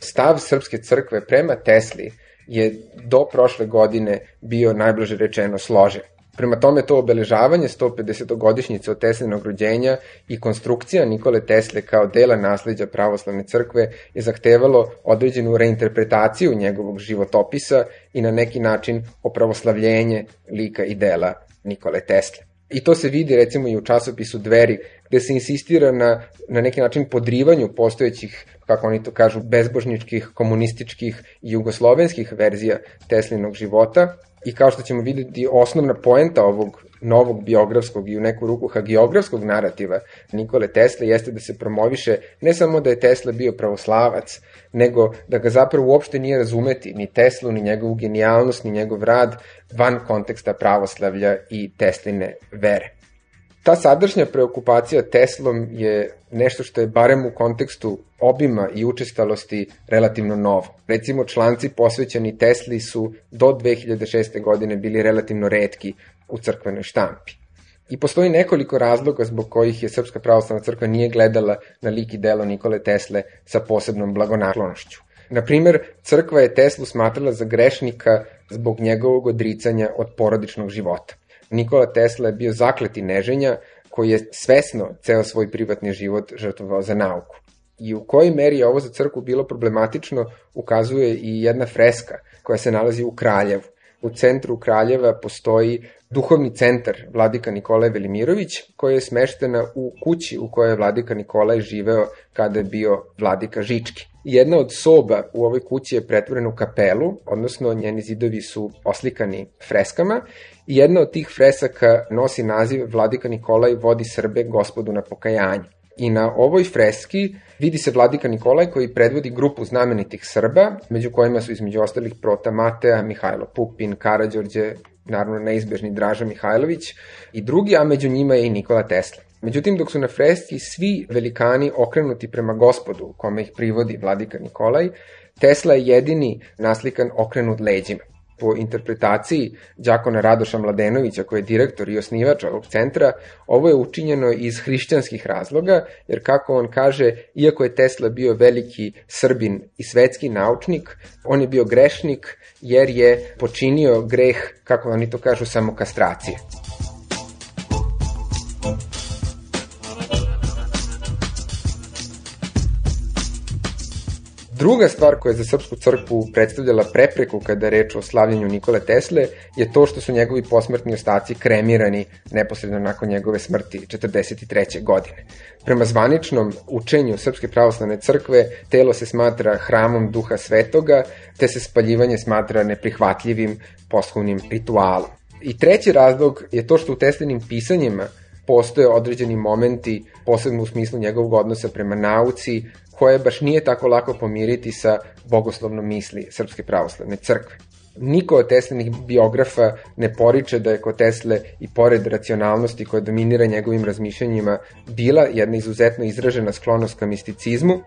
Stav Srpske crkve prema Tesli je do prošle godine bio najblaže rečeno složen. Prema tome, to obeležavanje sto pedesetogodišnjice od Teslinog rođenja i konstrukcija Nikole Tesle kao dela nasleđa pravoslavne crkve je zahtevalo određenu reinterpretaciju njegovog životopisa i na neki način opravoslavljenje lika i dela Nikole Tesle. I to se vidi recimo i u časopisu Dveri, gde se insistira na, na neki način podrivanju postojećih, kako oni to kažu, bezbožničkih, komunističkih i jugoslovenskih verzija Teslinog života. I kao što ćemo vidjeti, osnovna poenta ovog novog biografskog i u neku ruku hagiografskog narativa Nikole Tesle jeste da se promoviše ne samo da je Tesla bio pravoslavac, nego da ga zapravo uopšte nije razumeti ni Teslu, ni njegovu genijalnost, ni njegov rad van konteksta pravoslavlja i Tesline vere. Ta sadašnja preokupacija Teslom je nešto što je barem u kontekstu obima i učestalosti relativno novo. Recimo, članci posvećeni Tesli su do dve hiljade šeste. godine bili relativno retki u crkvenoj štampi. I postoji nekoliko razloga zbog kojih je Srpska pravoslavna crkva nije gledala na lik i delo Nikole Tesle sa posebnom blagonaklonošću. Na primer, crkva je Teslu smatrala za grešnika zbog njegovog odricanja od porodičnog života. Nikola Tesla je bio zakleti neženja koji je svesno ceo svoj privatni život žrtvovao za nauku. I u kojoj meri je ovo za crkvu bilo problematično ukazuje i jedna freska koja se nalazi u Kraljevu. U centru Kraljeva postoji duhovni centar vladika Nikolaj Velimirović, koja je smeštena u kući u kojoj je vladika Nikolaj živeo kada je bio vladika Žički. Jedna od soba u ovoj kući je pretvorena u kapelu, odnosno njeni zidovi su oslikani freskama i jedna od tih fresaka nosi naziv Vladika Nikolaj vodi Srbe gospodu na pokajanje. I na ovoj freski vidi se vladika Nikolaj koji predvodi grupu znamenitih Srba, među kojima su između ostalih Prota Mateja, Mihajlo Pupin, Karađorđe, naravno neizbežni Draža Mihajlović i drugi, a među njima je i Nikola Tesla. Međutim, dok su na freski svi velikani okrenuti prema gospodu, kome ih privodi vladika Nikolaj, Tesla je jedini naslikan okrenut leđima. Po interpretaciji đakona Radoša Mladenovića, koji je direktor i osnivač ovog centra, ovo je učinjeno iz hrišćanskih razloga, jer kako on kaže, iako je Tesla bio veliki Srbin i svetski naučnik, on je bio grešnik jer je počinio greh, kako oni to kažu, samokastracije. Druga stvar koja je za Srpsku crkvu predstavljala prepreku kada je reč o slavljenju Nikole Tesle je to što su njegovi posmrtni ostaci kremirani neposredno nakon njegove smrti četrdeset treće godine. Prema zvaničnom učenju Srpske pravoslavne crkve telo se smatra hramom Duha Svetoga, te se spaljivanje smatra neprihvatljivim posthumnim ritualom. I treći razlog je to što u Teslinim pisanjima postoje određeni momenti, posebno u smislu njegovog odnosa prema nauci, koje baš nije tako lako pomiriti sa bogoslovnom misli Srpske pravoslavne crkve. Niko od Teslinih biografa ne poriče da je kod Tesle i pored racionalnosti koja dominira njegovim razmišljanjima bila jedna izuzetno izražena sklonost ka misticizmu.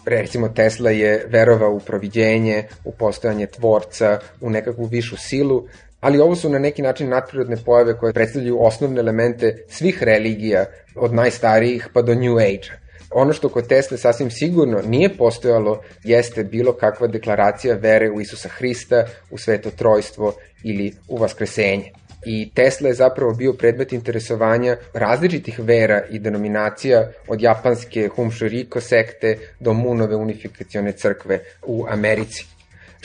Recimo, Tesla je verovao u proviđenje, u postojanje tvorca, u nekakvu višu silu, ali ovo su na neki način nadprirodne pojave koje predstavljaju osnovne elemente svih religija, od najstarijih pa do New Age-a. Ono što kod Tesle sasvim sigurno nije postojalo jeste bilo kakva deklaracija vere u Isusa Hrista, u Sveto Trojstvo ili u Vaskresenje. I Tesla je zapravo bio predmet interesovanja različitih vera i denominacija, od japanske Humshoriko sekte do Moonove unifikacione crkve u Americi.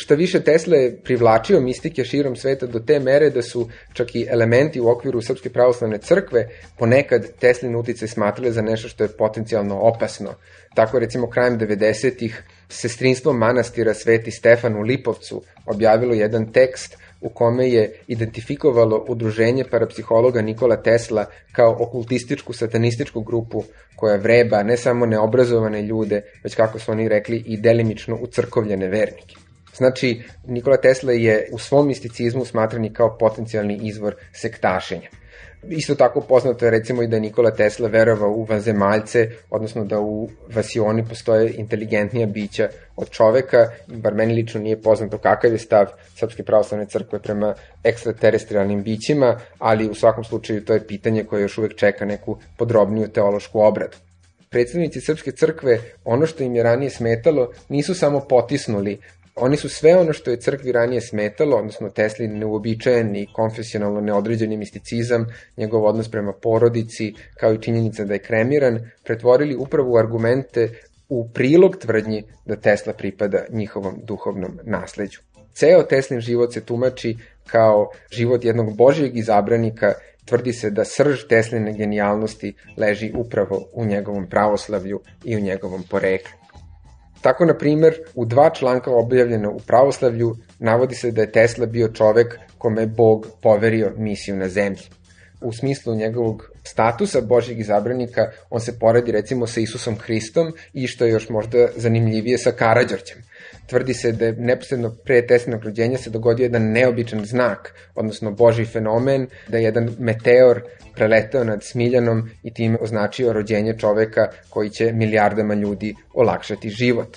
Šta više, Tesla je privlačio mistike širom sveta do te mere da su čak i elementi u okviru Srpske pravoslavne crkve ponekad Teslin uticaj smatrali za nešto što je potencijalno opasno. Tako, recimo, krajem devedesetih sestrinstvo manastira Sveti Stefan u Lipovcu objavilo jedan tekst u kome je identifikovalo udruženje parapsihologa Nikola Tesla kao okultističku satanističku grupu koja vreba ne samo neobrazovane ljude, već, kako su oni rekli, i delimično ucrkovljene vernike. Znači, Nikola Tesla je u svom misticizmu smatran i kao potencijalni izvor sektašenja. Isto tako poznato je recimo i da je Nikola Tesla verovao u vanzemaljce, odnosno da u vasioni postoje inteligentnija bića od čoveka, bar meni lično nije poznato kakav je stav Srpske pravoslavne crkve prema ekstraterestrijalnim bićima, ali u svakom slučaju to je pitanje koje još uvek čeka neku podrobniju teološku obradu. Predstavnici Srpske crkve, ono što im je ranije smetalo, nisu samo potisnuli. Oni su sve ono što je crkvi ranije smetalo, odnosno Teslin neuobičajeni, konfesionalno neodređeni misticizam, njegov odnos prema porodici, kao i činjenica da je kremiran, pretvorili upravo u argumente u prilog tvrdnji da Tesla pripada njihovom duhovnom nasleđu. Ceo Teslin život se tumači kao život jednog božjeg izabranika. Tvrdi se da srž Tesline genijalnosti leži upravo u njegovom pravoslavlju i u njegovom poreklu. Tako, na primer, u dva članka objavljena u pravoslavlju navodi se da je Tesla bio čovek kome je Bog poverio misiju na zemlji. U smislu njegovog statusa božjeg izabranika on se poredi recimo sa Isusom Hristom i, što je još možda zanimljivije, sa Karađorđem. Tvrdi se da je neposredno pre Teslinog rođenja se dogodio jedan neobičan znak, odnosno božji fenomen, da je jedan meteor preleteo nad Smiljanom i time označio rođenje čoveka koji će milijardama ljudi olakšati život.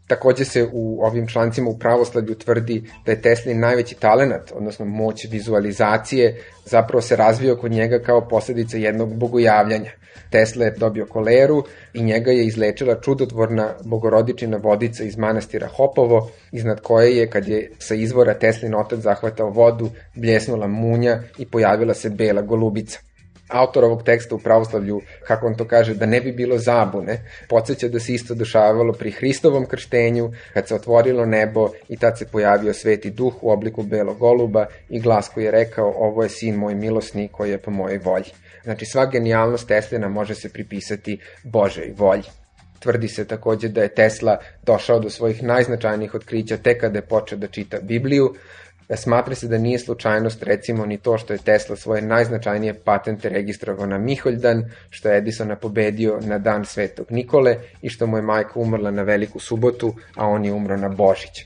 Takođe se u ovim člancima u pravoslavlju tvrdi da je Teslin najveći talenat, odnosno moć vizualizacije, zapravo se razvio kod njega kao posledica jednog bogojavljanja. Tesla je dobio koleru i njega je izlečila čudotvorna bogorodičina vodica iz manastira Hopovo, iznad koje je, kad je sa izvora Teslin otac zahvatao vodu, bljesnula munja i pojavila se bela golubica. Autor ovog teksta u pravoslavlju, kako on to kaže, da ne bi bilo zabune, podsjeća da se isto dešavalo pri Hristovom krštenju, kad se otvorilo nebo i tad se pojavio Sveti Duh u obliku belog goluba i glas koji je rekao: ovo je sin moj milosni koji je po mojoj volji. Znači, sva genijalnost Teslina može se pripisati Božoj volji. Tvrdi se takođe da je Tesla došao do svojih najznačajnijih otkrića tek kada je počeo da čita Bibliju. Smatra se da nije slučajnost recimo ni to što je Tesla svoje najznačajnije patente registrovao na Miholjdan, što je Edisona pobedio na dan Svetog Nikole i što mu je majka umrla na Veliku subotu, a on je umro na Božić.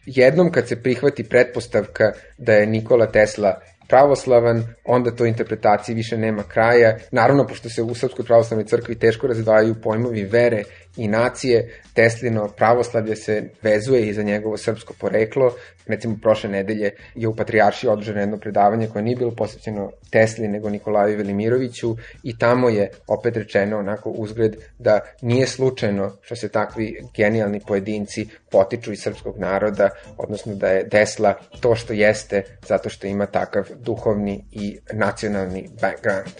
Jednom kad se prihvati pretpostavka da je Nikola Tesla pravoslavan, onda to interpretaciji više nema kraja. Naravno, pošto se u Srpskoj pravoslavnoj crkvi teško razdvajaju pojmovi vere i nacije, Teslino pravoslavlje se vezuje i za njegovo srpsko poreklo. Recimo, prošle nedelje je u Patrijaršiji održano jedno predavanje koje nije bilo posvećeno Tesli, nego Nikolaju Velimiroviću, i tamo je opet rečeno onako uzgred da nije slučajno što se takvi genijalni pojedinci potiču iz srpskog naroda, odnosno da je Tesla to što jeste zato što ima takav duhovni i nacionalni background.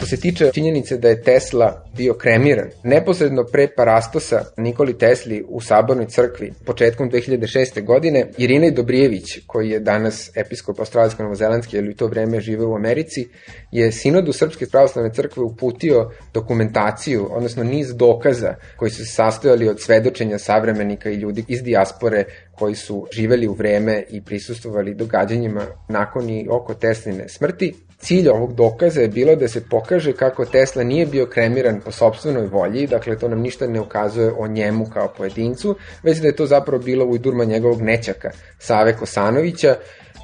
Što se tiče činjenice da je Tesla bio kremiran, neposredno pre parastosa Nikoli Tesli u Sabornoj crkvi početkom dve hiljade šeste. godine, Irinej Dobrijević, koji je danas episkop australijsko-novozelandski, ali u to vreme žive u Americi, je sinodu Srpske pravoslavne crkve uputio dokumentaciju, odnosno niz dokaza koji su se sastojali od svedočenja savremenika i ljudi iz dijaspore koji su živeli u vreme i prisustvovali događanjima nakon i oko Tesline smrti. Cilj ovog dokaza je bilo da se pokaže kako Tesla nije bio kremiran po sopstvenoj volji, dakle to nam ništa ne ukazuje o njemu kao pojedincu, već da je to zapravo bilo ujdurma njegovog nećaka, Save Kosanovića,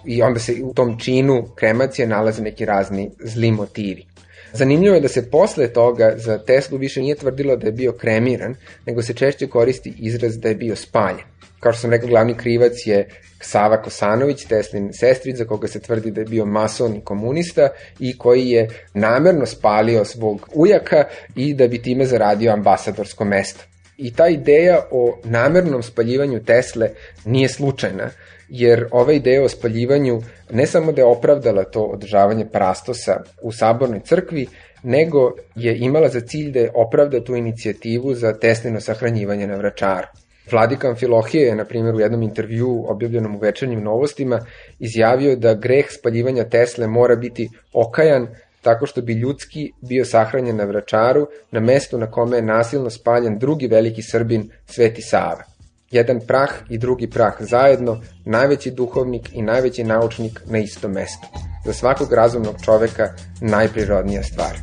i onda se u tom činu kremacije nalaze neki razni zli motivi. Zanimljivo je da se posle toga za Teslu više nije tvrdilo da je bio kremiran, nego se češće koristi izraz da je bio spaljen. Kao što sam rekao, glavni krivac je Sava Kosanović, Teslin sestrić, za koga se tvrdi da je bio mason i komunista i koji je namerno spalio svog ujaka i da bi time zaradio ambasadorsko mesto. I ta ideja o namernom spaljivanju Tesle nije slučajna, jer ova ideja o spaljivanju ne samo da je opravdala to održavanje parastosa u Sabornoj crkvi, nego je imala za cilj da je opravda tu inicijativu za Teslino sahranjivanje na Vračaru. Vladika Amfilohije je, na primjer, u jednom intervjuu objavljenom u Večernjim novostima izjavio da greh spaljivanja Tesle mora biti okajan tako što bi ljudski bio sahranjen na Vračaru, na mestu na kome je nasilno spaljen drugi veliki Srbin, Sveti Sava. Jedan prah i drugi prah zajedno, najveći duhovnik i najveći naučnik na istom mestu. Za svakog razumnog čoveka najprirodnija stvar.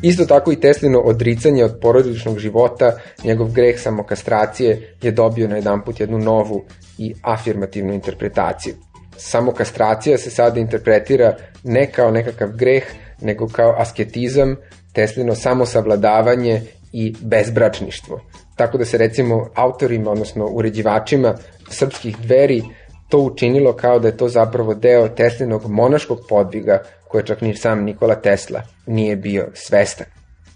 Isto tako i Teslino odricanje od porodičnog života, njegov greh samokastracije je dobio na jedanput jednu novu i afirmativnu interpretaciju. Samokastracija se sada interpretira ne kao nekakav greh, nego kao asketizam, Teslino samosavladavanje i bezbračništvo. Tako da se recimo autorima, odnosno uređivačima srpskih Dveri to učinilo kao da je to zapravo deo Teslinog monaškog podviga koje čak ni sam Nikola Tesla nije bio svestan.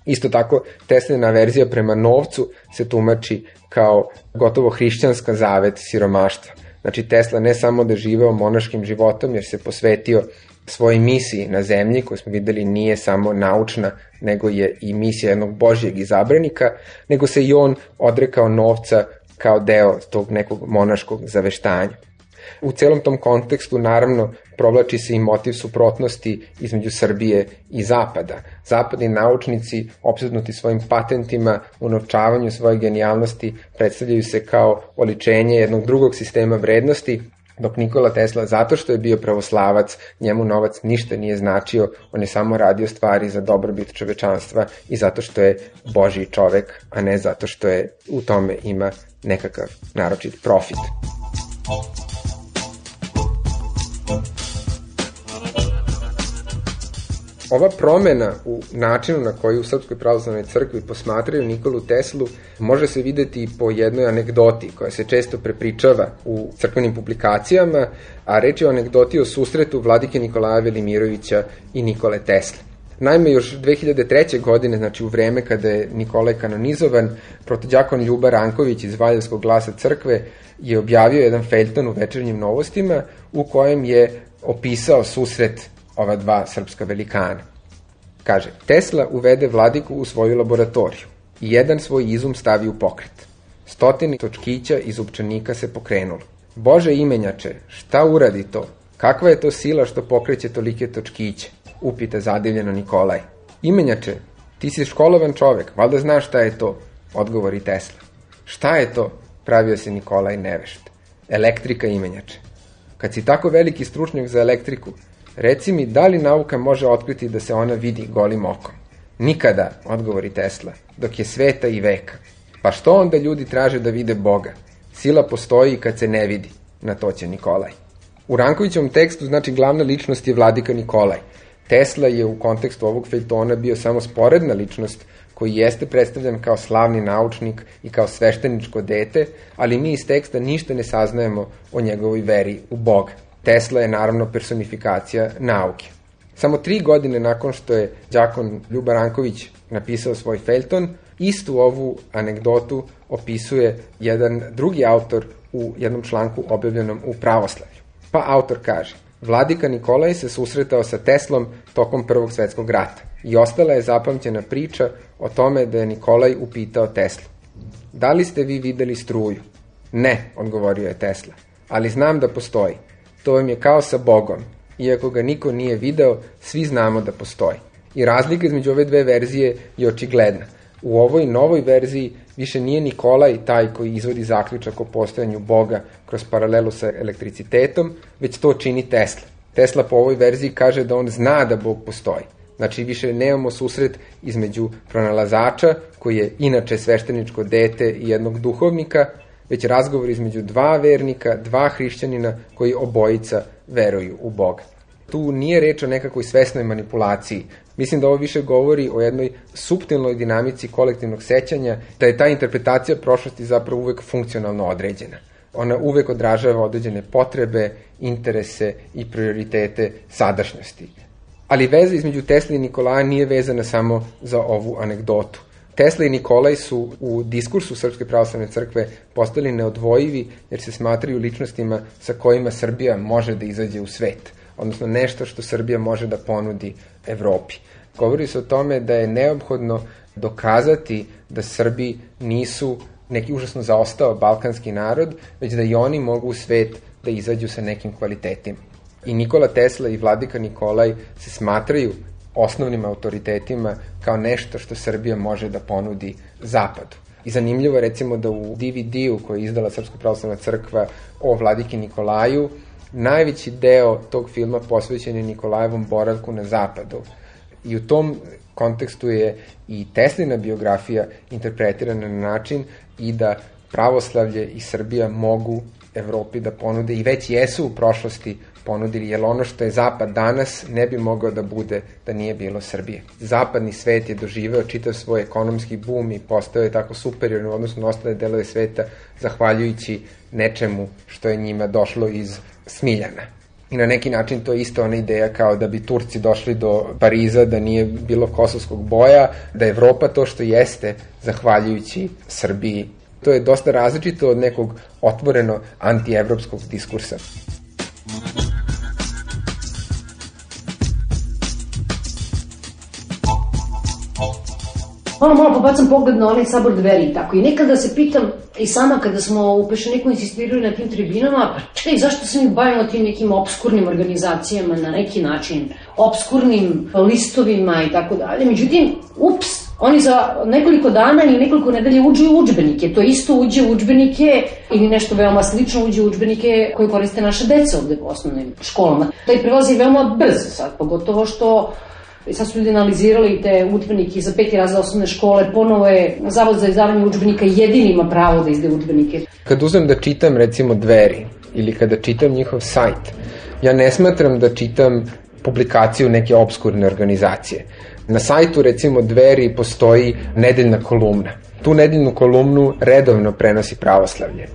Isto tako, Teslina verzija prema novcu se tumači kao gotovo hrišćanska zavet siromaštva. Znači, Tesla ne samo da živeo monaškim životom jer se posvetio svojoj misiji na zemlji, koju smo videli nije samo naučna, nego je i misija jednog božjeg izabranika, nego se i on odrekao novca kao deo tog nekog monaškog zaveštanja. U celom tom kontekstu, naravno, provlači se i motiv suprotnosti između Srbije i Zapada. Zapadni naučnici, opsednuti svojim patentima, unovčavanju svoje genijalnosti, predstavljaju se kao oličenje jednog drugog sistema vrednosti, dok Nikola Tesla, zato što je bio pravoslavac, njemu novac ništa nije značio, on je samo radio stvari za dobrobit čovečanstva i zato što je Božji čovek, a ne zato što je u tome ima nekakav naročit profit. Ova promena u načinu na koji u Srpskoj pravoslavnoj crkvi posmatraju Nikolu Teslu može se videti i po jednoj anegdoti koja se često prepričava u crkvenim publikacijama, a reč je o anegdoti o susretu vladike Nikolaja Velimirovića i Nikole Tesle. Naime, još dve hiljade treće. godine, znači u vreme kada je Nikolaj kanonizovan, protodjakon Ljuba Ranković iz Valjevskog glasa crkve je objavio jedan feljton u Večernjim novostima u kojem je opisao susret ova dva srpska velikana. Kaže, Tesla uvede vladiku u svoju laboratoriju i jedan svoj izum stavi u pokret. Stotine točkića iz zupčanika se pokrenulo. Bože imenjače, šta uradi to? Kakva je to sila što pokreće tolike točkiće? Upita zadivljeno Nikolaj. Imenjače, ti si školovan čovek, valjda znaš šta je to? Odgovori Tesla. Šta je to? Pravio se Nikolaj nevešt. Elektrika, imenjače. Kad si tako veliki stručnjak za elektriku, reci mi, da li nauka može otkriti da se ona vidi golim okom? Nikada, odgovori Tesla, dok je sveta i veka. Pa što onda ljudi traže da vide Boga? Sila postoji kad se ne vidi, na to će Nikolaj. U Rankovićevom tekstu, znači, glavna ličnost je vladika Nikolaj. Tesla je u kontekstu ovog feljtona bio samo sporedna ličnost koji jeste predstavljan kao slavni naučnik i kao svešteničko dete, ali mi iz teksta ništa ne saznajemo o njegovoj veri u Boga. Tesla je naravno personifikacija nauke. Samo tri godine nakon što je đakon Ljuba Ranković napisao svoj feljton, istu ovu anegdotu opisuje jedan drugi autor u jednom članku objavljenom u Pravoslavlju. Pa autor kaže: Vladika Nikolaj se susretao sa Teslom tokom Prvog svetskog rata i ostala je zapamćena priča o tome da je Nikolaj upitao Teslu: da li ste vi videli struju? Ne, odgovorio je Tesla, ali znam da postoji. To vam je kao sa Bogom. Iako ga niko nije video, svi znamo da postoji. I razlika između ove dve verzije je očigledna. U ovoj novoj verziji više nije Nikolaj taj koji izvodi zaključak o postojanju Boga kroz paralelu sa elektricitetom, već to čini Tesla. Tesla po ovoj verziji kaže da on zna da Bog postoji. Znači više nemamo susret između pronalazača, koji je inače svešteničko dete, i jednog duhovnika, već razgovor između dva vernika, dva hrišćanina koji obojica veruju u Boga. Tu nije reč o nekakvoj svesnoj manipulaciji. Mislim da ovo više govori o jednoj suptilnoj dinamici kolektivnog sećanja, da je ta interpretacija prošlosti zapravo uvek funkcionalno određena. Ona uvek odražava određene potrebe, interese i prioritete sadašnjosti. Ali veza između Tesle i Nikolaja nije vezana samo za ovu anegdotu. Tesla i Nikolaj su u diskursu Srpske pravoslavne crkve postali neodvojivi jer se smatraju ličnostima sa kojima Srbija može da izađe u svet, odnosno nešto što Srbija može da ponudi Evropi. Govori se o tome da je neophodno dokazati da Srbi nisu neki užasno zaostao balkanski narod, već da i oni mogu u svet da izađu sa nekim kvalitetima. I Nikola Tesla i vladika Nikolaj se smatraju osnovnim autoritetima kao nešto što Srbija može da ponudi Zapadu. I zanimljivo je recimo da u D V D-u koji je izdala Srpska pravoslavna crkva o vladiki Nikolaju, najveći deo tog filma posvećen je Nikolajevom boravku na Zapadu. I u tom kontekstu je i Teslina biografija interpretirana na način i da pravoslavlje i Srbija mogu Evropi da ponude i već jesu u prošlosti ponudili, jer ono što je Zapad danas ne bi mogao da bude da nije bilo Srbije. Zapadni svet je doživeo čitav svoj ekonomski boom i postao je tako superiorno u odnosu na ostale delove sveta zahvaljujući nečemu što je njima došlo iz Smiljana. I na neki način to je isto ona ideja kao da bi Turci došli do Pariza da nije bilo kosovskog boja, da je Evropa to što jeste zahvaljujući Srbiji. To je dosta različito od nekog otvoreno antievropskog diskursa. Malo, malo pobacam pogled na onaj sabor Dveri i tako. I nekada se pitam, i sama kada smo u Peščaniku insistirali na tim tribinama, pa čekaj, zašto se mi bavimo tim nekim obskurnim organizacijama na neki način, obskurnim listovima i tako dalje. Međutim, ups, oni za nekoliko dana ili nekoliko nedelje uđu u udžbenike. To isto uđe u udžbenike ili nešto veoma slično uđe u udžbenike koje koriste naše deca ovde u osnovnim školama. Taj prelaz je veoma brz sad, pogotovo što sad su ljudi analizirali te udžbenike za peti razred osnovne škole, ponovo je Zavod za izdavanje udžbenika jedini ima pravo da izdaje udžbenike. Kad uzmem da čitam recimo Dveri ili kada čitam njihov sajt, ja ne smatram da čitam publikaciju neke obskurne organizacije. Na sajtu recimo Dveri postoji nedeljna kolumna. Tu nedeljnu kolumnu redovno prenosi Pravoslavlje.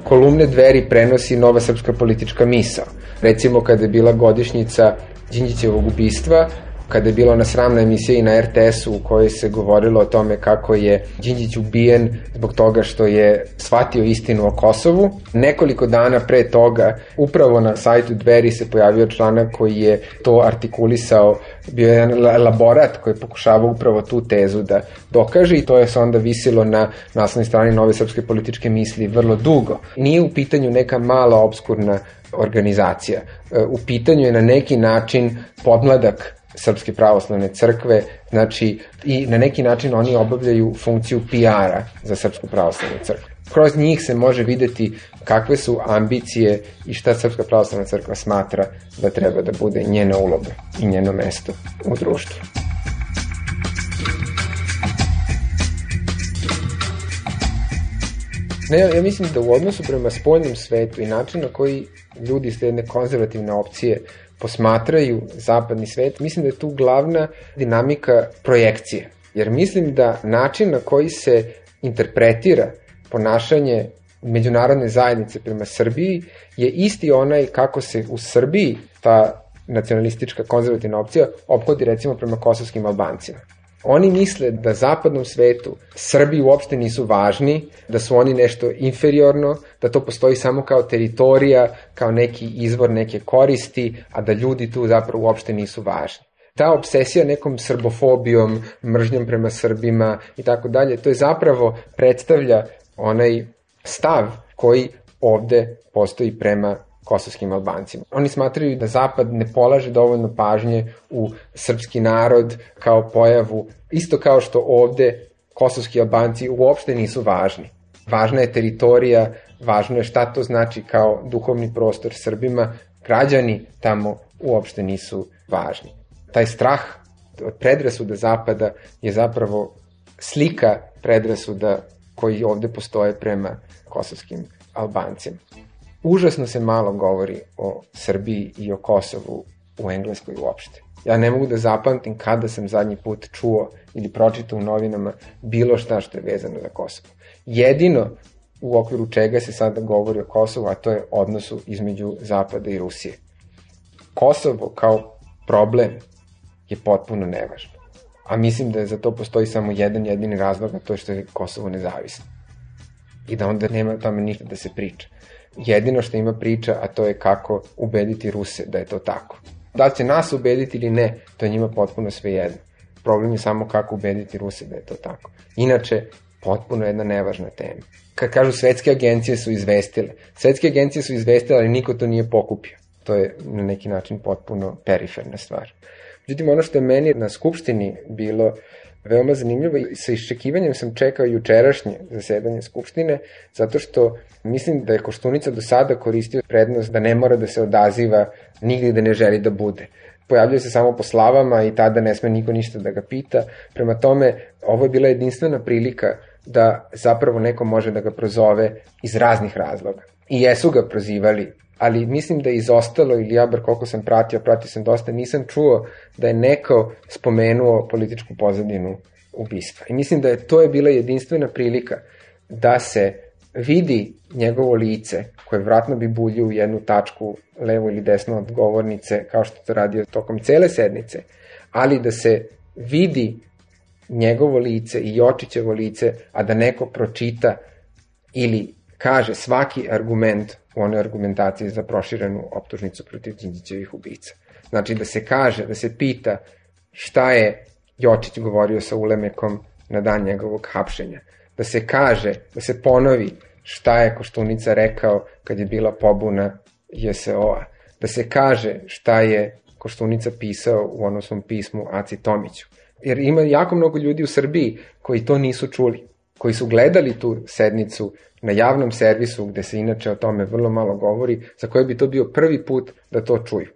Kolumne Dveri prenosi Nova srpska politička misao. Recimo kada je bila godišnjica Đinđićevog ubistva, kada je bila ona sramna emisija i na R T S-u u kojoj se govorilo o tome kako je Đinđić ubijen zbog toga što je shvatio istinu o Kosovu. Nekoliko dana pre toga, upravo na sajtu Dveri se pojavio članak koji je to artikulisao, bio je jedan elaborat koji je pokušavao upravo tu tezu da dokaže i to je se onda visilo na naslovnoj strani Nove srpske političke misli vrlo dugo. Nije u pitanju neka mala obskurna organizacija. U pitanju je na neki način podmladak Srpske pravoslavne crkve, znači i na neki način oni obavljaju funkciju P R-a za Srpsku pravoslavnu crkvu. Kroz njih se može videti kakve su ambicije i šta Srpska pravoslavna crkva smatra da treba da bude njena uloga i njeno mesto u društvu. Ne, ja mislim da u odnosu prema spoljnom svetu i način na koji ljudi iz jedne konzervativne opcije posmatraju zapadni svet, mislim da je tu glavna dinamika projekcije. Jer mislim da način na koji se interpretira ponašanje međunarodne zajednice prema Srbiji je isti onaj kako se u Srbiji ta nacionalistička konzervativna opcija ophodi recimo prema kosovskim Albancima. Oni misle da zapadnom svetu Srbi uopšte nisu važni, da su oni nešto inferiorno, da to postoji samo kao teritorija, kao neki izvor neke koristi, a da ljudi tu zapravo uopšte nisu važni. Ta obsesija nekom srbofobijom, mržnjom prema Srbima i tako dalje, to je zapravo predstavlja onaj stav koji ovde postoji prema kosovskim Albancima. Oni smatraju da Zapad ne polaže dovoljno pažnje u srpski narod kao pojavu, isto kao što ovde kosovski Albanci uopšte nisu važni. Važna je teritorija, važno je šta to znači kao duhovni prostor Srbima, građani tamo uopšte nisu važni. Taj strah od predrasuda Zapada je zapravo slika predrasuda koji ovde postoje prema kosovskim Albancima. Užasno se malo govori o Srbiji i o Kosovu u Engleskoj uopšte. Ja ne mogu da zapamtim kada sam zadnji put čuo ili pročitao u novinama bilo šta što je vezano za Kosovo. Jedino u okviru čega se sada govori o Kosovu, a to je odnosu između Zapada i Rusije. Kosovo kao problem je potpuno nevažno. A mislim da za to postoji samo jedan jedini razlog, a to je što je Kosovo nezavisno. I da onda nema tome ništa da se priča. Jedino što ima priča, a to je kako ubediti Ruse da je to tako. Da li će nas ubediti ili ne, to je njima potpuno svejedno. Problem je samo kako ubediti Ruse da je to tako. Inače, potpuno jedna nevažna tema. Kad kažu svetske agencije su izvestile, svetske agencije su izvestile, ali niko to nije pokupio. To je na neki način potpuno periferna stvar. Međutim, ono što je meni na Skupštini bilo veoma zanimljivo i sa iščekivanjem sam čekao jučerašnje zasedanje Skupštine, zato što mislim da je Koštunica do sada koristio prednost da ne mora da se odaziva nigde da ne želi da bude. Pojavljuje se samo po slavama i tada ne sme niko ništa da ga pita. Prema tome, ovo je bila jedinstvena prilika da zapravo neko može da ga prozove iz raznih razloga. I jesu ga prozivali, ali mislim da je izostalo, ili ja bar koliko sam pratio, pratio sam dosta, nisam čuo da je neko spomenuo političku pozadinu ubistva. I mislim da je to je bila jedinstvena prilika da se vidi njegovo lice, koje vratno bi buljio u jednu tačku levo ili desno od govornice, kao što to radio tokom cele sednice, ali da se vidi njegovo lice i Jočićevo lice, a da neko pročita ili kaže svaki argument u onoj argumentaciji za proširenu optužnicu protiv Đinđićevih ubica. Znači da se kaže, da se pita šta je Jočić govorio sa Ulemekom na dan njegovog hapšenja. Da se kaže, da se ponovi šta je Koštunica rekao kad je bila pobuna J S O-a. Da se kaže šta je Koštunica pisao u onom svom pismu Aci Tomiću. Jer ima jako mnogo ljudi u Srbiji koji to nisu čuli, koji su gledali tu sednicu na javnom servisu, gde se inače o tome vrlo malo govori, za koje bi to bio prvi put da to čuju.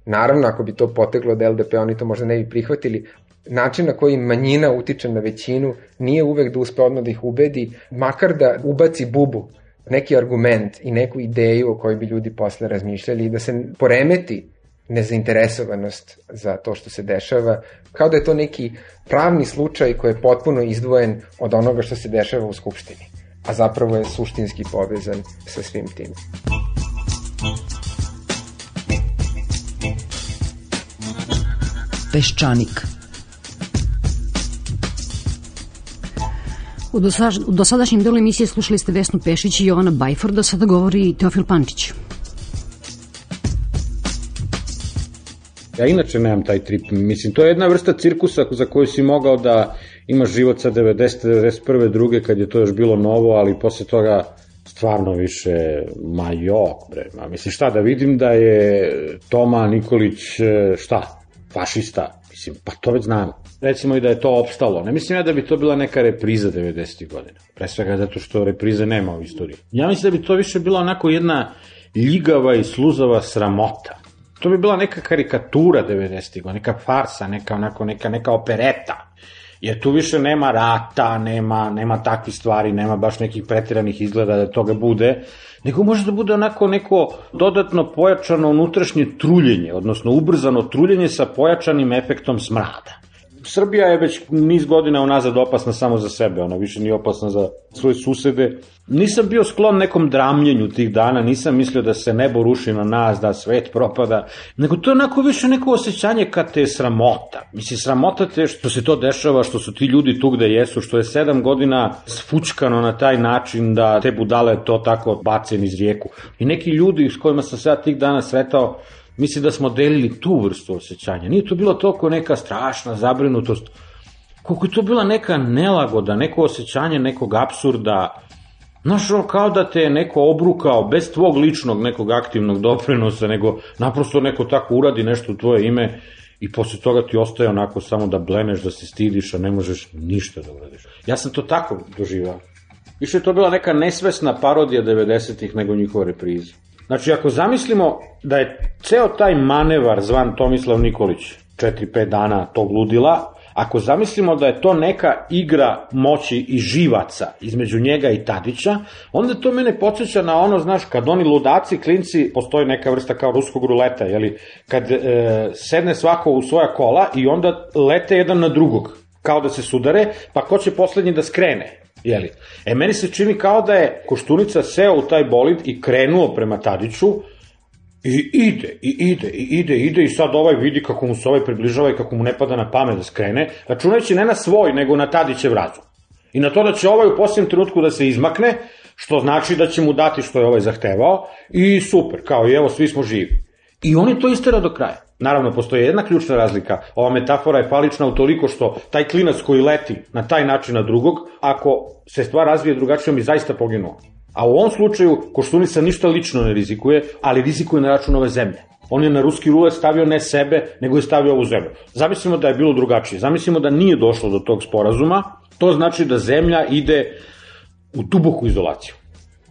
Naravno, ako bi to poteglo od L D P, oni to možda ne bi prihvatili. Način na koji manjina utiče na većinu nije uvek da uspe odmah da ih ubedi, makar da ubaci bubu, neki argument i neku ideju o kojoj bi ljudi posle razmišljali i da se poremeti nezainteresovanost za to što se dešava, kao da je to neki pravni slučaj koji je potpuno izdvojen od onoga što se dešava u Skupštini, a zapravo je suštinski povezan sa svim tim. Peščanik. U, dosaž, u dosadašnjem delu emisije slušali ste Vesnu Pešić i Jovana Bajforda, sada govori Teofil Pančić. Ja inače nemam taj trip, mislim, to je jedna vrsta cirkusa za koju si mogao da imaš život sa devedesete, devedeset prve, druge, kad je to još bilo novo, ali posle toga stvarno više, ma jok, bre, ma, mislim, šta, da vidim da je Toma Nikolić, šta, fašista, mislim, pa to već znamo. Recimo i da je to opstalo, ne mislim ja da bi to bila neka repriza devedesetih godina, pre svega zato što reprize nema u istoriji. Ja mislim da bi to više bila onako jedna ljigava i sluzava sramota. To bi bila neka karikatura devedesetih godina, neka farsa, neka, onako, neka, neka opereta. Jer tu više nema rata, nema, nema takvih stvari, nema baš nekih pretiranih izgleda da toga bude, nego može da bude onako neko dodatno pojačano unutrašnje truljenje, odnosno ubrzano truljenje sa pojačanim efektom smrada. Srbija je već niz godina unazad opasna samo za sebe, ona više nije opasna za svoje susede. Nisam bio sklon nekom dramljenju tih dana, nisam mislio da se nebo ruši na nas, da svet propada, nego to je onako više neko osjećanje kad te je sramota. Mislim, sramota te što se to dešava, što su ti ljudi tu gde jesu, što je sedam godina sfučkano na taj način da te budale to tako bace niz rijeku. I neki ljudi s kojima sam se ja tih dana sretao, mislim da smo delili tu vrstu osjećanja. Nije to bilo toliko neka strašna zabrinutost, koliko je to bila neka nelagoda, neko osjećanje nekog apsurda. Znaš, kao da te je neko obrukao bez tvog ličnog nekog aktivnog doprinosa, nego naprosto neko tako uradi nešto u tvoje ime i posle toga ti ostaje onako samo da bleneš, da se stidiš, a ne možeš ništa da uradiš. Ja sam to tako doživao. Više je to bila neka nesvesna parodija devedesetih nego njihova repriza. Znači, ako zamislimo da je ceo taj manevar zvan Tomislav Nikolić, četiri pet dana tog ludila, ako zamislimo da je to neka igra moći i živaca između njega i Tadića, onda to mene podsjeća na ono, znaš, kad oni ludaci, klinci, postoji neka vrsta kao ruskog ruleta, jeli, kad e, sedne svako u svoja kola i onda lete jedan na drugog, kao da se sudare, pa ko će poslednji da skrene. Jeli. E, meni se čini kao da je Koštunica seo u taj bolid i krenuo prema Tadiću i ide, i ide, i ide, ide i sad ovaj vidi kako mu se ovaj približava i kako mu ne pada na pamet da skrene, računajući ne na svoj, nego na Tadićev razum. I na to da će ovaj u posljednjem trenutku da se izmakne, što znači da će mu dati što je ovaj zahtevao i super, kao i evo, svi smo živi. I on je to istera do kraja. Naravno, postoji jedna ključna razlika. Ova metafora je falična utoliko što taj klinac koji leti na taj način na drugog, ako se stvar razvije drugačije, on bi zaista poginuo. A u ovom slučaju Koštunica ništa lično ne rizikuje, ali rizikuje na račun ove zemlje. On je na ruski rulet stavio ne sebe, nego je stavio ovu zemlju. Zamislimo da je bilo drugačije. Zamislimo da nije došlo do tog sporazuma. To znači da zemlja ide u duboku izolaciju.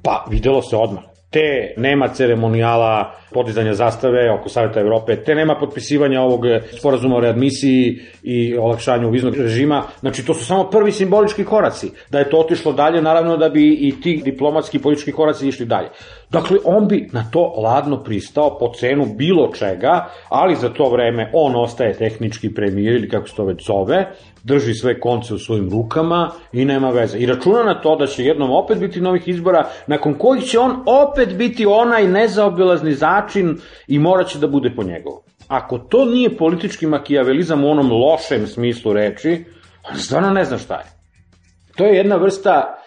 Pa, videlo se odmah. Te nema ceremonijala podizanja zastave oko Saveta Evrope, te nema potpisivanja ovog sporazuma o readmisiji i olakšanju viznog režima. Znači, to su samo prvi simbolički koraci. Da je to otišlo dalje, naravno da bi i ti diplomatski i politički koraci išli dalje. Dakle, on bi na to ladno pristao po cenu bilo čega, ali za to vreme on ostaje tehnički premijer ili kako se to već zove, drži sve konce u svojim rukama i nema veze. I računa na to da će jednom opet biti novih izbora, nakon kojih će on opet biti onaj nezaobilazni začin i morat će da bude po njegovu. Ako to nije politički makijavelizam u onom lošem smislu reči, on stvarno ne zna šta je. To je jedna vrsta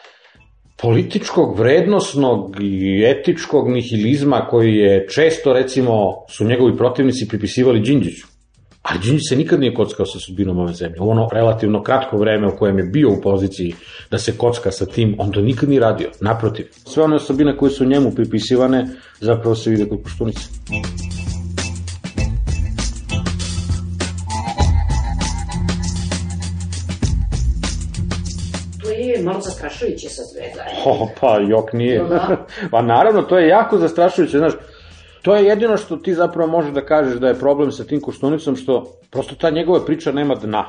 političkog, vrednosnog i etičkog nihilizma koji je često, recimo, su njegovi protivnici pripisivali Đinđiću. Ali Đinđić se nikad nije kockao sa sudbinom ove zemlje. U ono relativno kratko vreme u kojem je bio u poziciji da se kocka sa tim, on to nikad nije radio. Naprotiv, sve one osobine koje su njemu pripisivane zapravo se vide kod Koštunice. To je malo zastrašujuće sa sve zajedno. O, pa jok nije. Pa naravno, to je jako zastrašujuće, znaš. To je jedino što ti zapravo možeš da kažeš da je problem sa tim Koštunicom, što prosto ta njegova priča nema dna.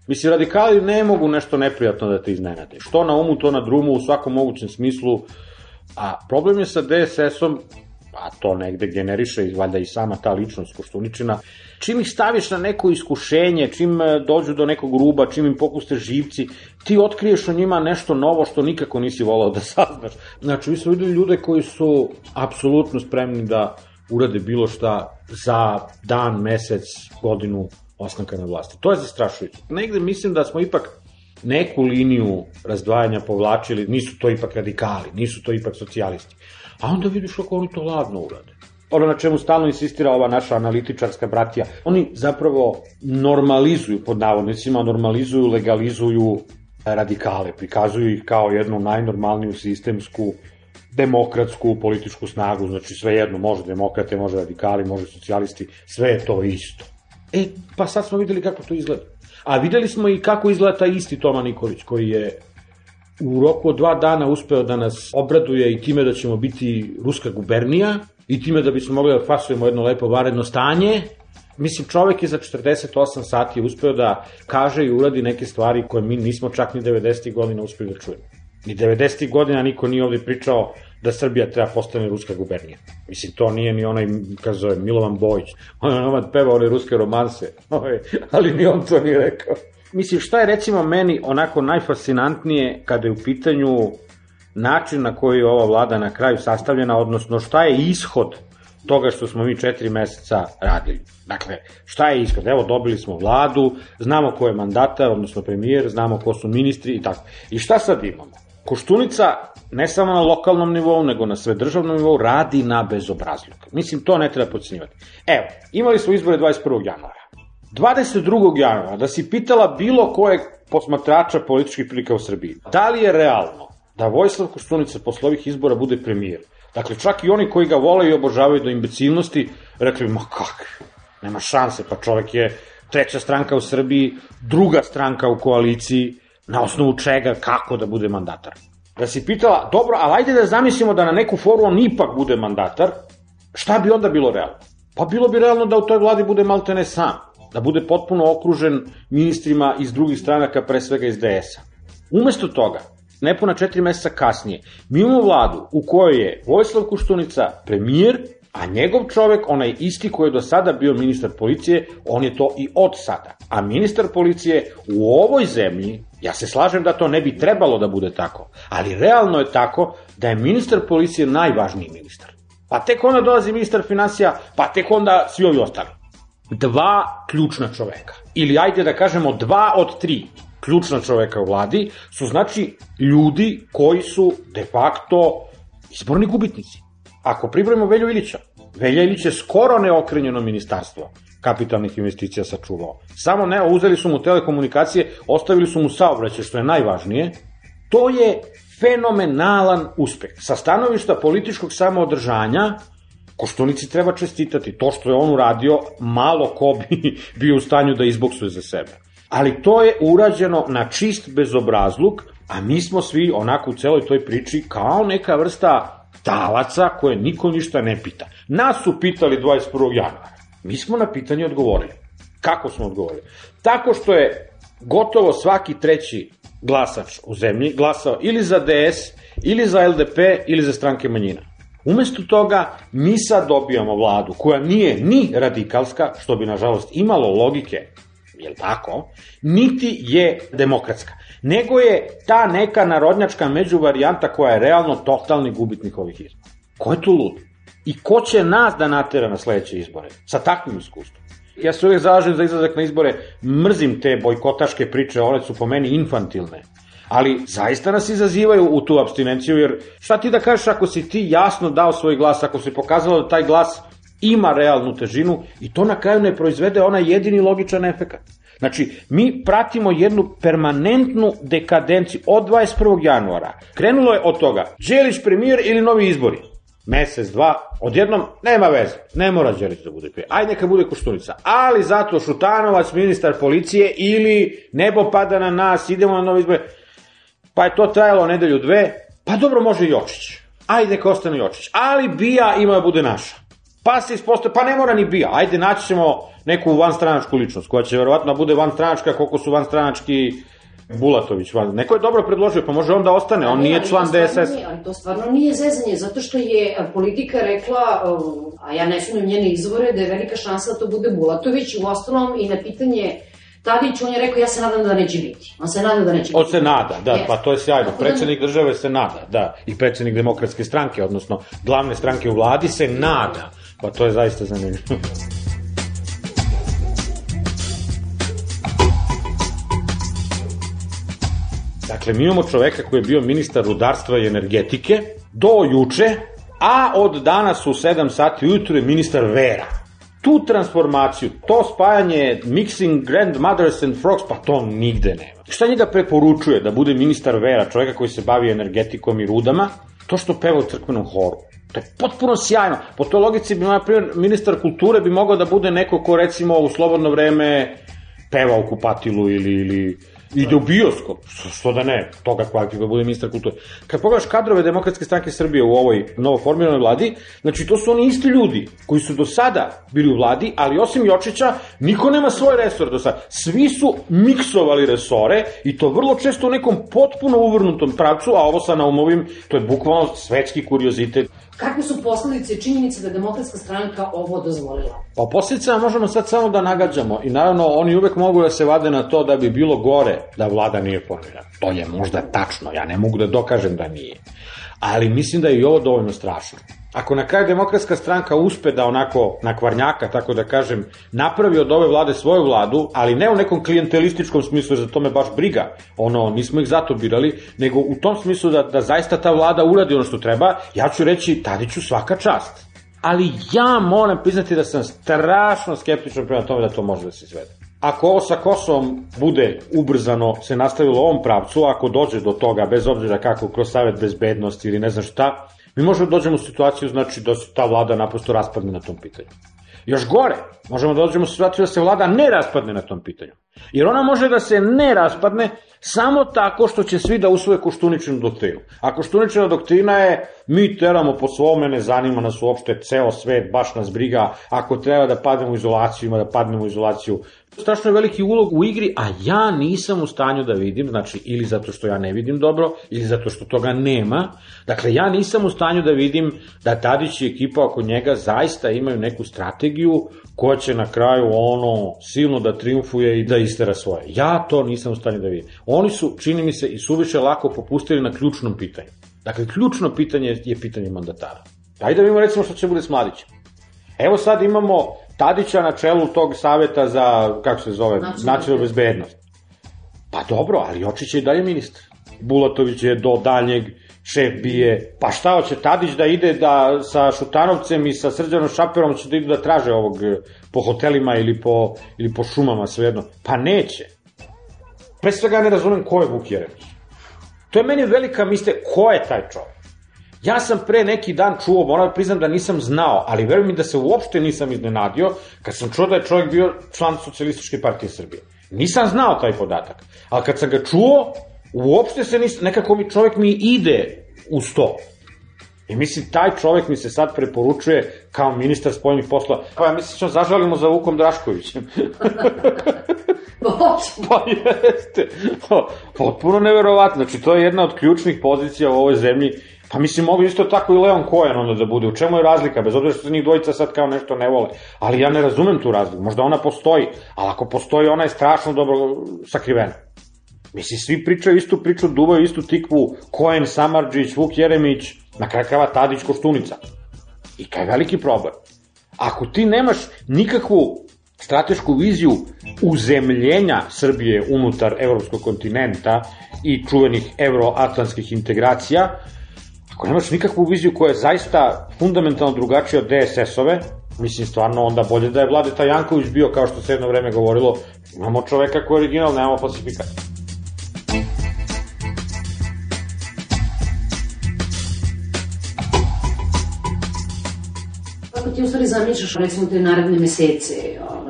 Mislim, radikali ne mogu nešto neprijatno da te iznenade. Što na umu, to na drumu, u svakom mogućem smislu. A problem je sa de es esom, a to negde generiše valjda i sama ta ličnost Koštuničina, čim ih staviš na neko iskušenje, čim dođu do nekog ruba, čim im popuste živci, ti otkriješ o njima nešto novo što nikako nisi volao da saznaš. Znači, vi su videli ljude koji su apsolutno spremni da urade bilo šta za dan, mesec, godinu ostanka na vlasti. To je zastrašujuće. Negde mislim da smo ipak neku liniju razdvajanja povlačili, nisu to ipak radikali, nisu to ipak socijalisti. A onda vidiš kako oni to ladno urade. Ono na čemu stalno insistira ova naša analitičarska bratija, oni zapravo normalizuju, pod navodnicima, normalizuju, legalizuju radikale, prikazuju ih kao jednu najnormalniju sistemsku demokratsku političku snagu, znači sve jedno, može demokrate, može radikali, može socijalisti, sve je to isto. E, pa sad smo videli kako to izgleda. A videli smo i kako izgleda taj isti Toma Nikolić, koji je u roku od dva dana uspeo da nas obraduje i time da ćemo biti ruska gubernija, i time da bismo mogli da fasujemo jedno lepo vanredno stanje. Mislim, čovek je za četrdeset osam sati uspeo da kaže i uradi neke stvari koje mi nismo čak ni devedesetih godina uspeli da čujemo. Ni devedesetih godina niko nije ovde pričao da Srbija treba postane ruska gubernija. Mislim, to nije ni onaj, kako zove, Milovan Bojić. On je nomad pevao one ruske romanse, ali ni on to nije rekao. Mislim, šta je recimo meni onako najfascinantnije kada je u pitanju način na koji je ova vlada na kraju sastavljena, odnosno šta je ishod toga što smo mi četiri meseca radili. Dakle, šta je ishod? Evo, dobili smo vladu, znamo ko je mandatar, odnosno premijer, znamo ko su ministri i tako. I šta sad imamo? Koštunica, ne samo na lokalnom nivou, nego na svedržavnom nivou, radi na bezobrazluk. Mislim, to ne treba podcenjivati. Evo, imali smo izbore dvadeset prvog januara. dvadeset drugog januara, da si pitala bilo kojeg posmatrača političkih prilika u Srbiji, da li je realno da Vojislav Koštunica posle ovih izbora bude premijer? Dakle, čak i oni koji ga vole i obožavaju do imbecilnosti, rekli, ma kak, nema šanse, pa čovek je treća stranka u Srbiji, druga stranka u koaliciji, na osnovu čega, kako da bude mandatar. Da si pitala, dobro, ali ajde da zamislimo da na neku foru on ipak bude mandatar, šta bi onda bilo realno? Pa bilo bi realno da u toj vladi bude maltene sam, da bude potpuno okružen ministrima iz drugih stranaka, pre svega iz de es a. Umesto toga, nepuna četiri meseca kasnije, mi imamo vladu u kojoj je Vojislav Koštunica premijer, a njegov čovek, onaj isti koji je do sada bio ministar policije, on je to i od sada. A ministar policije u ovoj zemlji, ja se slažem da to ne bi trebalo da bude tako, ali realno je tako da je ministar policije najvažniji ministar. Pa tek onda dolazi ministar finansija, pa tek onda svi ovi ostali. Dva ključna čoveka, ili ajde da kažemo dva od tri ključna čoveka u vladi, su znači ljudi koji su de facto izborni gubitnici. Ako pribrojimo Velju Ilića, Velja Ilić je skoro neokrenjeno ministarstvo kapitalnih investicija sačuvao. Samo ne, uzeli su mu telekomunikacije, ostavili su mu saobraćaj, što je najvažnije. To je fenomenalan uspeh. Sa stanovišta političkog samoodržanja, Koštunici treba čestitati. To što je on uradio, malo ko bi bio u stanju da izboksuje za sebe. Ali to je urađeno na čist bezobrazluk, a mi smo svi onako u celoj toj priči kao neka vrsta talaca koje niko ništa ne pita. Nas su pitali dvadeset prvog januara. Mi smo na pitanje odgovorili. Kako smo odgovorili? Tako što je gotovo svaki treći glasač u zemlji glasao ili za de es, ili za el de pe, ili za stranke manjina. Umesto toga, mi sad dobijamo vladu koja nije ni radikalska, što bi nažalost imalo logike, jel tako, niti je demokratska, nego je ta neka narodnjačka međuvarijanta koja je realno totalni gubitnik ovih izbora. Ko je tu lud? I ko će nas da natera na sledeće izbore? Sa takvim iskustvom. Ja se uvijek zalažem za izlazak na izbore, mrzim te bojkotaške priče, one su po meni infantilne. Ali zaista nas izazivaju u tu apstinenciju, jer šta ti da kažeš ako si ti jasno dao svoj glas, ako si pokazalo da taj glas ima realnu težinu i to na kraju ne proizvede onaj jedini logičan efekat. Znači, mi pratimo jednu permanentnu dekadenciju od dvadeset prvog januara. Krenulo je od toga, Đelić premijer ili novi izbori. Mesec, dva, odjednom, nema veze, ne mora Đelić da bude premijer. Ajde neka bude Koštunica, ali zato Šutanovac, ministar policije ili nebo pada na nas, idemo na novi izbori. Pa je to trajalo nedelju dve, pa dobro može Jočić. Ajde neka ostane Jočić, ali Bija ima da bude naša. Pa se ispostaje, pa ne mora ni Bija, ajde naći ćemo neku vanstranačku ličnost, koja će verovatno bude vanstranačka koliko su vanstranački Bulatović. Van. Neko je dobro predložio, pa može on da ostane, on nije član de es es. Ali to stvarno nije zezanje, zato što je politika rekla, a ja ne sumnjam njene izvore, da je velika šansa da to bude Bulatović, u ostalom i na pitanje Tadić, on je rekao, ja se nadam da neće biti. On se nada da neće biti. On se nada, da, pa to je sjajno. Predsednik države se nada, da, i predsednik demokratske stranke, odnosno glavne stranke u vladi se nada. Pa to je zaista zanimljivo. Dakle, mi imamo čoveka koji je bio ministar rudarstva i energetike do juče, a od danas u sedam sati ujutru je ministar vera. Tu transformaciju, to spajanje mixing grandmothers and frogs, pa to nigde nema. Šta njega preporučuje da bude ministar vera, čoveka koji se bavi energetikom i rudama? To što peva u crkvenom horu. To je potpuno sjajno. Po toj logici bi, na primjer, ministar kulture bi mogao da bude neko ko, recimo, u slobodno vreme peva u kupatilu ili, ili ide u bioskop. Što da ne, toga kvalifikuje da bude ministar kulture. Kad pogledaš kadrove Demokratske stranke Srbije u ovoj novoformiranoj vladi, znači to su oni isti ljudi koji su do sada bili u vladi, ali osim Jočića, niko nema svoj resor do sada. Svi su miksovali resore i to vrlo često u nekom potpuno uvrnutom pravcu, a ovo sa Naumovim, to je bukvalno svetski kuriozitet. Kakve su posledice i činjenice da je Demokratska stranka ovo dozvolila? Pa o posledicama možemo sad samo da nagađamo i naravno oni uvek mogu da se vade na to da bi bilo gore da vlada nije formirana. To je možda tačno, ja ne mogu da dokažem da nije. Ali mislim da je i ovo dovoljno strašno. Ako na kraju Demokratska stranka uspe da onako na kvarnjaka, tako da kažem, napravi od ove vlade svoju vladu, ali ne u nekom klijentelističkom smislu, jer za to me baš briga, ono, nismo ih zato birali, nego u tom smislu da, da zaista ta vlada uradi ono što treba, ja ću reći Tadiću svaka čast. Ali ja moram priznati da sam strašno skeptičan prema tome da to može da se izvede. Ako ovo sa Kosovom bude ubrzano se nastavilo u ovom pravcu, ako dođe do toga, bez obzira kako, kroz Savet bezbednosti ili ne znam šta, mi možemo da dođemo u situaciju, znači, da se ta vlada naprosto raspadne na tom pitanju. Još gore, možemo da dođemo u situaciju da se vlada ne raspadne na tom pitanju. Jer ona može da se ne raspadne samo tako što će svi da usvoje Koštuničinu doktrinu. A Koštuničina doktrina je mi teramo po svome, ne zanima nas uopšte ceo svet, baš nas briga, ako treba da padnemo u izolaciju, ima da padnemo u izolaciju. Strašno je veliki ulog u igri, a ja nisam u stanju da vidim, znači ili zato što ja ne vidim dobro, ili zato što toga nema. Dakle, ja nisam u stanju da vidim da Tadić i ekipa oko njega zaista imaju neku strategiju koja će na kraju ono silno da triumfuje i da istera svoje. Ja to nisam u stanju da vidim. Oni su, čini mi se, i suviše lako popustili na ključnom pitanju. Dakle, ključno pitanje je pitanje mandatara. Ajde da vidimo recimo što će bude s Mladićem. Evo sad imamo Tadića na čelu tog saveta za, kako se zove, nacionalnu bezbednost. Pa dobro, ali Jočić je i dalje ministar. Bulatović je do daljnjeg šef bije. Pa šta hoće Tadić da ide da sa Šutanovcem i sa Srđanom Šaperom će da idu da traže ovog po hotelima ili po, ili po šumama, svejedno? Pa neće. Pre svega ne razumem ko je Vuk Jeremić. To je meni velika misterija. Ko je taj čovjek? Ja sam pre neki dan čuo, moram priznam da nisam znao, ali verujem mi da se uopšte nisam iznenadio kad sam čuo da je čovjek bio član Socijalističke partije Srbije. Nisam znao taj podatak, ali kad sam ga čuo, uopšte se nisam, nekako mi čovjek mi ide uz to. I mislim, taj čovjek mi se sad preporučuje kao ministar spoljnih poslova. Pa ja mislim, što zažalimo za Vukom Draškovićem. Pa jeste. Potpuno neverovatno. Znači, to je jedna od ključnih pozicija u ovoj zemlji. Pa mislim, mogu isto tako i Leon Cohen onda da bude. U čemu je razlika? Bez obzira što se njih dvojica sad kao nešto ne vole. Ali ja ne razumem tu razliku. Možda ona postoji, ali ako postoji, ona je strašno dobro sakrivena. Mislim, svi pričaju istu priču, duvaju istu tikvu, Cohen, Samardžić, Vuk Jeremić, na kraju krajeva Tadić, Koštunica. I kaj je veliki problem. Ako ti nemaš nikakvu stratešku viziju uzemljenja Srbije unutar evropskog kontinenta i čuvenih euroatlantskih integracija, ako nemaš nikakvu viziju koja je zaista fundamentalno drugačija od D S S-ove, mislim, stvarno onda bolje da je Vladeta Janković bio, kao što se jedno vreme govorilo, imamo čoveka koji je original, nemamo falsifikat. Kako ti u stvari zamišljaš, recimo, te naredne mesece,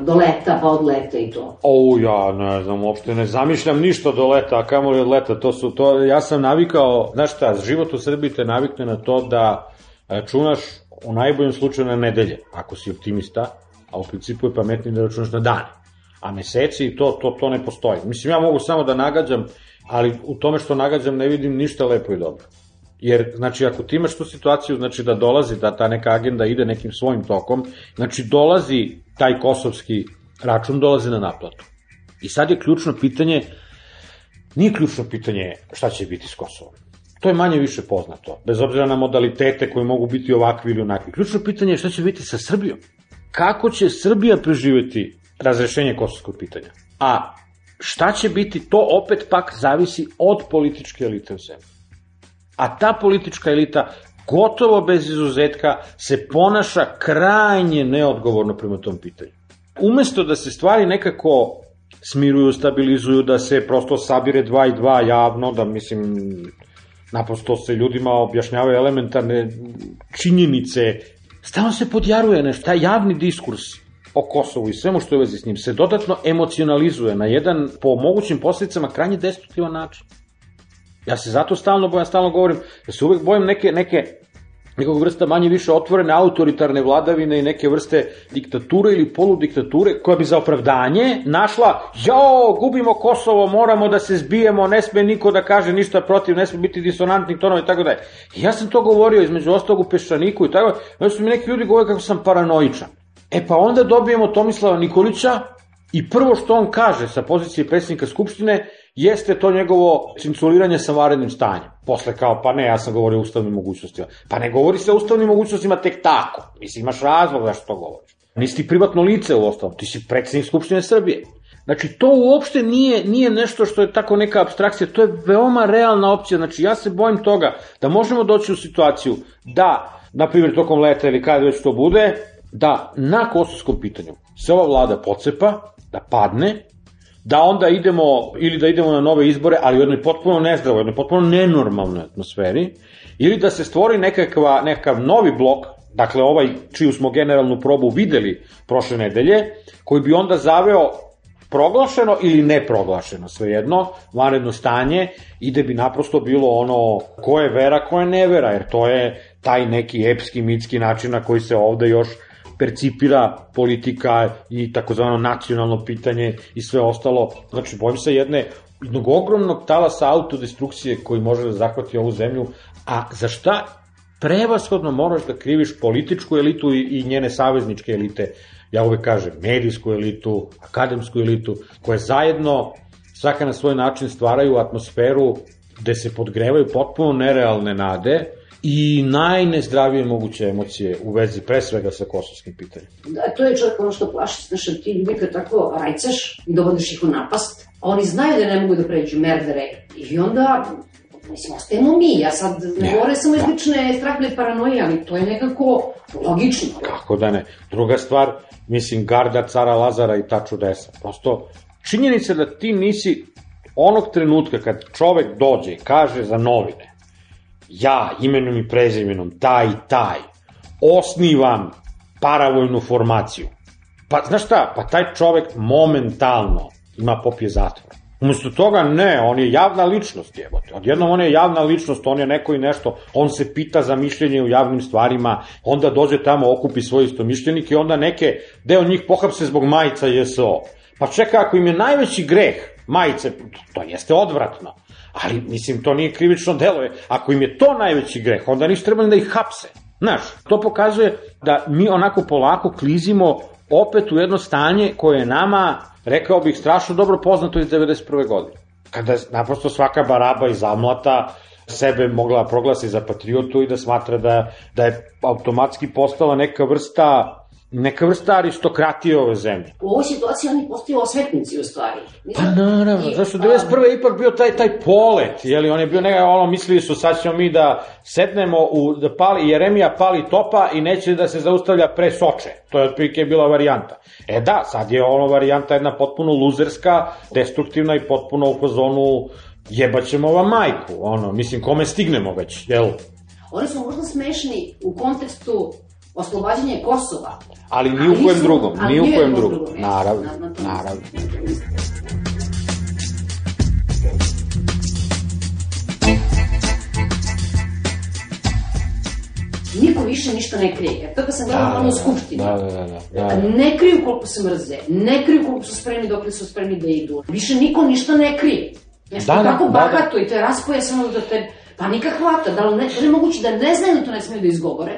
do leta, pa od leta i to? O, ja ne znam, uopšte ne zamišljam ništa do leta, a kamo li od leta, to su to, ja sam navikao, znaš šta, život u Srbiji te navikne na to da računaš u najboljem slučaju na nedelje, ako si optimista, a u principu je pametnije da računaš na dane, a meseci i to, to, to ne postoji. Mislim, ja mogu samo da nagađam, ali u tome što nagađam ne vidim ništa lepo i dobro. Jer, znači, ako ti imaš tu situaciju, znači da dolazi, da ta neka agenda ide nekim svojim tokom, znači dolazi taj kosovski račun, dolazi na naplatu. I sad je ključno pitanje, nije ključno pitanje šta će biti s Kosovom. To je manje više poznato, bez obzira na modalitete koji mogu biti ovakvi ili onakvi. Ključno pitanje je šta će biti sa Srbijom. Kako će Srbija preživeti razrešenje kosovskog pitanja? A šta će biti, to opet pak zavisi od političke elite u zemlji. A ta politička elita, gotovo bez izuzetka, se ponaša krajnje neodgovorno prema tom pitanju. Umesto da se stvari nekako smiruju, stabilizuju, da se prosto sabire dva i dva javno, da mislim, naprosto se ljudima objašnjavaju elementarne činjenice, stalno se podjaruje nešto, taj javni diskurs o Kosovu i svemu što je u vezi s njim se dodatno emocionalizuje na jedan, po mogućim posljedicama, krajnje destruktivan način. Ja se zato stalno bojim, stalno govorim, da se uvek bojim neke, neke nekog vrsta manje više otvorene autoritarne vladavine i neke vrste diktature ili poludiktature koja bi za opravdanje našla, jao, gubimo Kosovo, moramo da se zbijemo, ne sme niko da kaže ništa protiv, ne sme biti disonantnih tonova i tako dalje. Ja sam to govorio između ostalog u Peščaniku i tako, onda su mi neki ljudi govorili kako sam paranoičan. E pa onda dobijemo Tomislava Nikolića i prvo što on kaže sa pozicije predsjednika Skupštine jeste to njegovo cinculiranje sa vanrednim stanjem. Posle kao, pa ne, ja sam govorio o ustavnim mogućnostima. Pa ne govori se o ustavnim mogućnostima tek tako. Mislim, imaš razlog zašto to govoriš. Nisi ti privatno lice u ostalom, ti si predsjednik Skupštine Srbije. Znači, to uopšte nije, nije nešto što je tako neka apstrakcija, to je veoma realna opcija. Znači, ja se bojim toga da možemo doći u situaciju da, na primjer, tokom leta ili kada već to bude, da na kosovskom pitanju se ova vlada pocepa, da padne, da onda idemo, ili da idemo na nove izbore, ali u jednoj potpuno nezdravoj, u jednoj potpuno nenormalnoj atmosferi, ili da se stvori nekakva, nekakav novi blok, dakle ovaj čiju smo generalnu probu videli prošle nedelje, koji bi onda zaveo proglašeno ili neproglašeno, svejedno, vanredno stanje, i da bi naprosto bilo ono ko je vera, ko je nevera, jer to je taj neki epski, mitski način na koji se ovde još percipira politika i takozvano nacionalno pitanje i sve ostalo. Znači, bojim se jedne, jednog ogromnog talasa autodestrukcije koji može da zahvati ovu zemlju, a za šta prevashodno moraš da kriviš političku elitu i, i njene savezničke elite, ja uvek kažem, medijsku elitu, akademsku elitu, koje zajedno, svaka na svoj način stvaraju atmosferu gde se podgrevaju potpuno nerealne nade i najnezdravije moguće emocije u vezi pre svega sa kosovskim pitanjem. Da, to je čovjek ono što plaši, znaš, ti ljudi kad tako rajcaš i dovodiš ih u napast, a oni znaju da ne mogu da pređu merdere i onda, mislim, ostajemo mi, ja sad ne ja, govore samo izlične strahne paranoje, ali to je nekako logično. Kako da ne. Druga stvar, mislim, garda cara Lazara i ta čudesa. Prosto, činjenica da ti nisi onog trenutka kad čovek dođe i kaže za novine, ja, imenom i prezimenom, taj i taj, osnivam paravojnu formaciju. Pa, znaš šta, pa taj čovek momentalno ima popije zatvora. Umesto toga, ne, on je javna ličnost, jebote. Odjednom on je javna ličnost, on je neko i nešto, on se pita za mišljenje u javnim stvarima, onda dođe tamo, okupi svoje istomišljenike i onda neke, deo njih pohapse zbog majica J S O. Pa čeka, ako im je najveći greh majice, to jeste odvratno. Ali, mislim, to nije krivično delo. Ako im je to najveći greh, onda nisu trebali da ih hapse. Znaš, to pokazuje da mi onako polako klizimo opet u jedno stanje koje je nama, rekao bih, strašno dobro poznato iz devedeset prve godine. Kada naprosto svaka baraba iz Amlata sebe mogla proglasi za patriotu i da smatra da, da je automatski postala neka vrsta neka vrsta aristokratije ove zemlje. U ovoj situaciji oni postaju osvetnici u stvari. Pa naravno, zašto devedeset prve ipak bio taj taj polet, jeli, on je bio neka, ono, mislili su sad ćemo mi da sednemo u, da pali, Jeremija pali topa i neće da se zaustavlja pre Soče, to je otprilike bila varijanta. E da, sad je ono varijanta jedna potpuno luzerska, destruktivna i potpuno u fazonu jebaćemo ova majku, ono, mislim, kome stignemo već, jel? Oni su možda smešni u kontekstu oslobađanje Kosova. Ali ni u kojem drugom, ni u kojem drugom. Naravno, naravno. Niko više ništa ne krije. Jer to kad sam gledala malo u Skupštini. Da, da, da, da. Ne kriju koliko se mrze, ne kriju koliko su spremni dok li su spremni da idu. Više niko ništa ne krije. Nešto da, tako da, bahato da, da. I te raspoje samo da te panika hvata. Da li ne, da je moguće da ne znaju da to ne smiju da izgovore?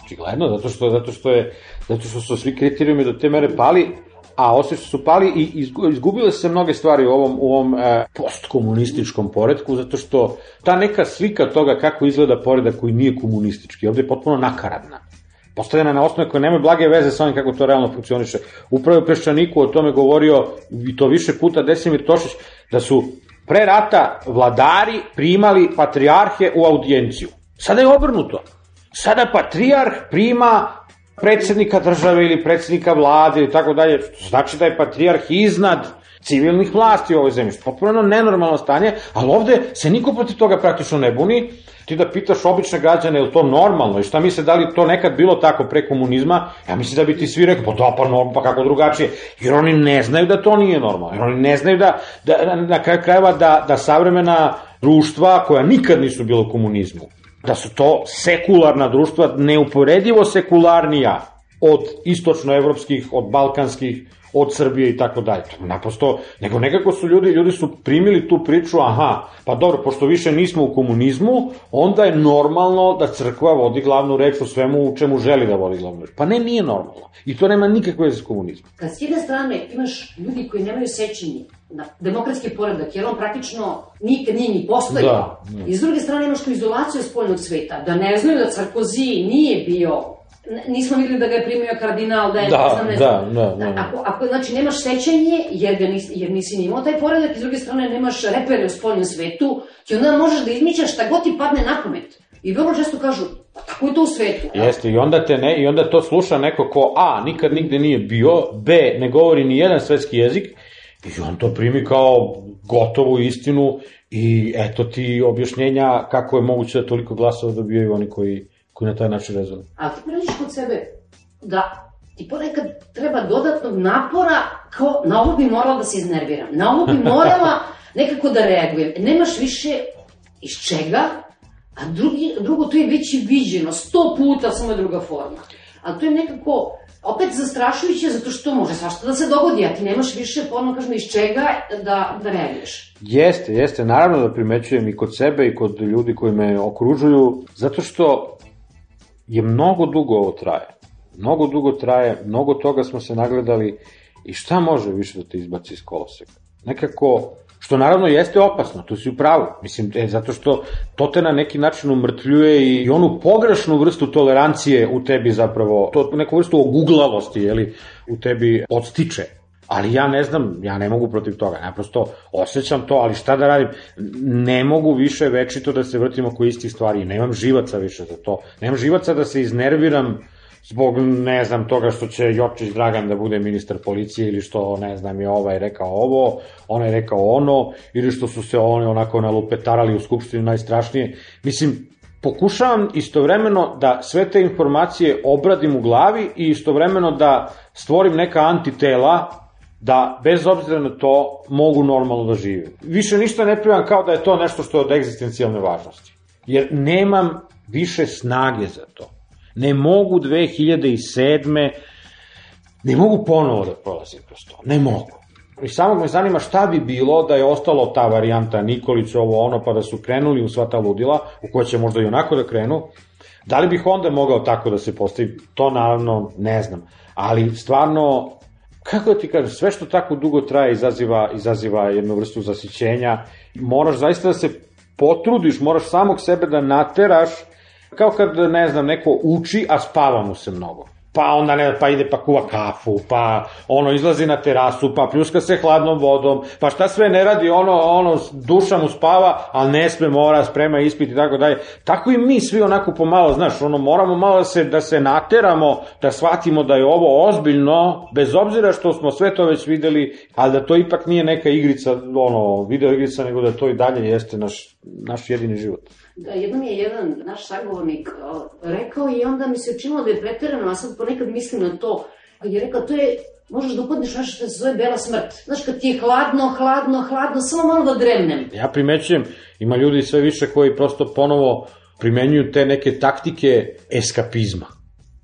Očigledno, zato što, zato što je, zato što su svi kriterijumi do te mere pali, a osim što su pali i izgubile se mnoge stvari u ovom, u ovom e, postkomunističkom poretku, zato što ta neka slika toga kako izgleda poredak koji nije komunistički, ovde je potpuno nakaradna. Postavljena na osnovu koje nemaju blage veze sa onim kako to realno funkcioniše. Upravo u Peščaniku o tome govorio, i to više puta, Desimir Tošić, da su pre rata vladari primali patrijarhe u audijenciju. Sada je obrnuto. Sada patrijarh prima predsjednika države ili predsjednika vlade i tako dalje, što znači da je patrijarh iznad civilnih vlasti u ovoj zemlji, što je potpuno nenormalno stanje, ali ovde se niko protiv toga praktično ne buni. Ti da pitaš obične građane, je li to normalno i šta misle, da li to nekad bilo tako pre komunizma, ja mislim da bi ti svi rekli, pa da, pa normalno, pa kako drugačije, jer oni ne znaju da to nije normalno, jer oni ne znaju da, da na kraju krajeva da, da savremena društva koja nikad nisu bilo u komunizmu, da su to sekularna društva, neuporedivo sekularnija od istočnoevropskih, od balkanskih, od Srbije i tako dalje. Naprosto, nego nekako su ljudi, ljudi su primili tu priču, aha, pa dobro, pošto više nismo u komunizmu, onda je normalno da crkva vodi glavnu reč u svemu u čemu želi da vodi glavnu reč. Pa ne, nije normalno. I to nema nikakve veze s komunizmom. Kad s jedne strane imaš ljudi koji nemaju sećenje na demokratski poredak, jer on praktično nikad nije ni postojao. Da, da. I s druge strane imaš tu izolaciju spoljnog sveta, da ne znaju da Sarkozy nije bio, nismo videli da ga je primio kardinal, da je, da, ne znam, ne znam. Da, da, da. Ako, ako, znači, nemaš sećanje, jer, ga nisi, jer nisi ni imao taj poredak, i s druge strane nemaš repere u spoljnom svetu, i onda možeš da izmišljaš šta god ti padne na pamet. I vrlo često kažu, pa tako je to u svetu. Jeste, i onda, te ne, i onda to sluša neko ko A, nikad nigde nije bio, B, ne govori ni jedan svetski jezik, i on to primi kao gotovu istinu i eto ti objašnjenja kako je moguće da toliko glasova dobijaju oni koji, koji na taj način rezonuju. Ali ti priđeš kod sebe da ti ponekad treba dodatnog napora, kao na ovo bi morala da se iznerviram, na ovo bi morala nekako da reagujem. Nemaš više iz čega, a drugi, drugo to je već i viđeno, sto puta, samo je druga forma. Ali to je nekako opet zastrašujuće, zato što može svašta da se dogodi, a ti nemaš više, ponovno kažemo, iz čega da, da reaguješ. Jeste, jeste, naravno da primećujem i kod sebe i kod ljudi koji me okružuju, zato što je mnogo dugo ovo traje. Mnogo dugo traje, mnogo toga smo se nagledali i šta može više da te izbaci iz koloseka? Nekako, što naravno jeste opasno, tu si u pravu, mislim, e, zato što to te na neki način umrtvljuje i, i onu pogrešnu vrstu tolerancije u tebi zapravo, to neku vrstu oguglavosti, jeli, u tebi odstiče. Ali ja ne znam, ja ne mogu protiv toga, naprosto osjećam to, ali šta da radim, ne mogu više večito da se vrtim oko istih stvari, nemam živaca više za to, nemam živaca da se iznerviram zbog, ne znam, toga što će Jočić Dragan da bude ministar policije ili što, ne znam, je ovaj rekao ovo, onaj je rekao ono, ili što su se oni onako nalupetarali u Skupštini najstrašnije. Mislim, pokušavam istovremeno da sve te informacije obradim u glavi i istovremeno da stvorim neka antitela da, bez obzira na to, mogu normalno da živim. Više ništa ne primam kao da je to nešto što je od egzistencijalne važnosti. Jer nemam više snage za to. Ne mogu dve hiljade sedme. Ne mogu ponovo da prolazim kroz to. Ne mogu. I samo me zanima šta bi bilo da je ostalo ta varijanta Nikolić, ovo ono, pa da su krenuli u sva ta ludila, u koje će možda i onako da krenu. Da li bih onda mogao tako da se postavi? To naravno ne znam. Ali stvarno, kako da ti kažem, sve što tako dugo traje izaziva, izaziva jednu vrstu zasićenja. Moraš zaista da se potrudiš, moraš samog sebe da nateraš, kao kad, ne znam, neko uči, a spava mu se mnogo. Pa onda ne, pa ide pa kuva kafu, pa ono izlazi na terasu, pa pljuska se hladnom vodom, pa šta sve ne radi, ono, ono, duša mu spava, ali ne sme, mora, sprema ispit i tako dalje. Tako i mi svi onako pomalo, znaš, ono, moramo malo da se, da se nateramo, da shvatimo da je ovo ozbiljno, bez obzira što smo sve to već videli, ali da to ipak nije neka igrica, ono, video igrica, nego da to i dalje jeste naš, naš jedini život. Da, jednom je jedan naš sagovornik rekao i onda mi se učinilo da je preterano, a sad ponekad mislim na to, kad je rekao, to je, možeš da upadneš nešto što se zove bela smrt. Znaš, kad ti je hladno, hladno, hladno, samo malo da dremnem. Ja primećujem, ima ljudi sve više koji prosto ponovo primenjuju te neke taktike eskapizma.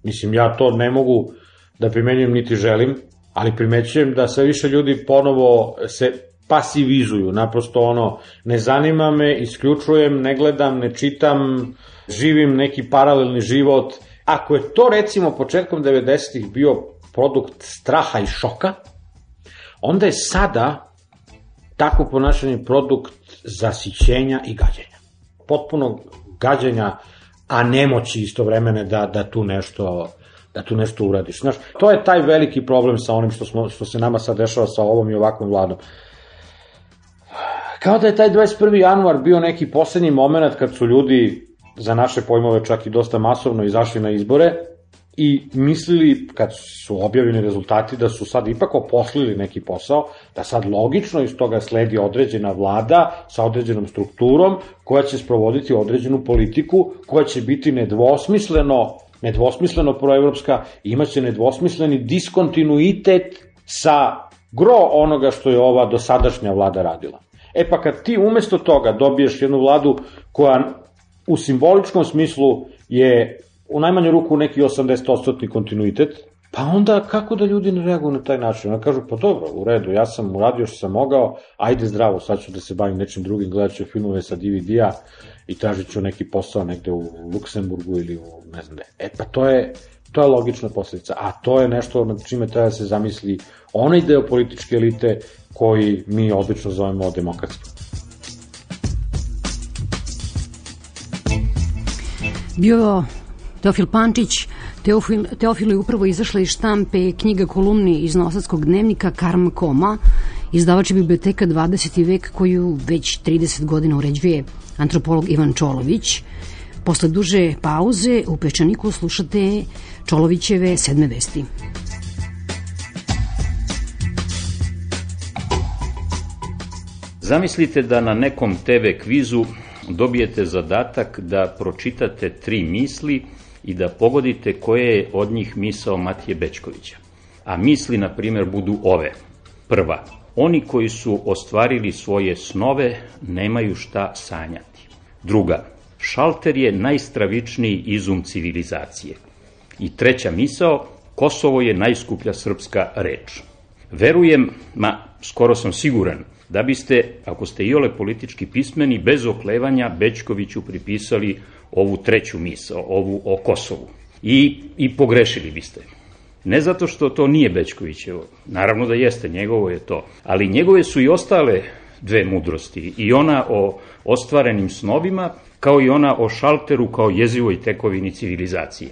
Mislim, ja to ne mogu da primenjujem niti želim, ali primećujem da sve više ljudi ponovo se pasivizuju, naprosto ono, ne zanima me, isključujem, ne gledam, ne čitam, živim neki paralelni život. Ako je to recimo početkom devedesetih bio produkt straha i šoka, onda je sada tako ponašanje produkt zasićenja i gađenja. Potpuno gađenja, a nemoći istovremene da, da tu nešto da tu nešto uradiš. Znaš, to je taj veliki problem sa onim što, smo, što se nama sad dešava sa ovom i ovakvom vladom. Kao da je taj dvadeset prvi januar bio neki poslednji moment kad su ljudi, za naše pojmove čak i dosta masovno, izašli na izbore i mislili, kad su objavljeni rezultati, da su sad ipak oposlili neki posao, da sad logično iz toga sledi određena vlada sa određenom strukturom koja će sprovoditi određenu politiku, koja će biti nedvosmisleno, nedvosmisleno proevropska i imaće nedvosmisleni diskontinuitet sa gro onoga što je ova dosadašnja vlada radila. E pa kad ti umesto toga dobiješ jednu vladu koja u simboličkom smislu je u najmanju ruku neki osamdeset posto kontinuitet, pa onda kako da ljudi ne reaguju na taj način? Onda kažu, pa dobro, u redu, ja sam uradio što sam mogao, ajde zdravo, sad ću da se bavim nečim drugim, gledat ću filmove sa D V D-a i tražit ću neki posao negde u Luksemburgu ili u ne znam gde. E pa to je, to je logična posledica, a to je nešto na čime treba da se zamisli onaj deo političke elite koji mi obično zovemo demokratstvo. Bio Teofil Pančić. Teofil, Teofil je upravo izašla iz štampe knjiga kolumni iz Novosadskog dnevnika Karma Koma, izdavač je Biblioteka dvadeseti vek koju već trideset godina uređuje antropolog Ivan Čolović. Posle duže pauze u Peščaniku slušate Čolovićeve sedme vesti. Zamislite da na nekom te ve kvizu dobijete zadatak da pročitate tri misli i da pogodite koje je od njih misao Matije Bećkovića. A misli, na primjer, budu ove. Prva. Oni koji su ostvarili svoje snove nemaju šta sanjati. Druga. Šalter je najstravičniji izum civilizacije. I treća misao. Kosovo je najskuplja srpska reč. Verujem, ma skoro sam siguran, da biste, ako ste iole politički pismeni, bez oklevanja Bećkoviću pripisali ovu treću misao, ovu o Kosovu. I, i pogrešili biste. Ne zato što to nije Bećkovićevo, naravno da jeste, njegovo je to, ali njegove su i ostale dve mudrosti, i ona o ostvarenim snovima, kao i ona o šalteru kao jezivoj tekovini civilizacije.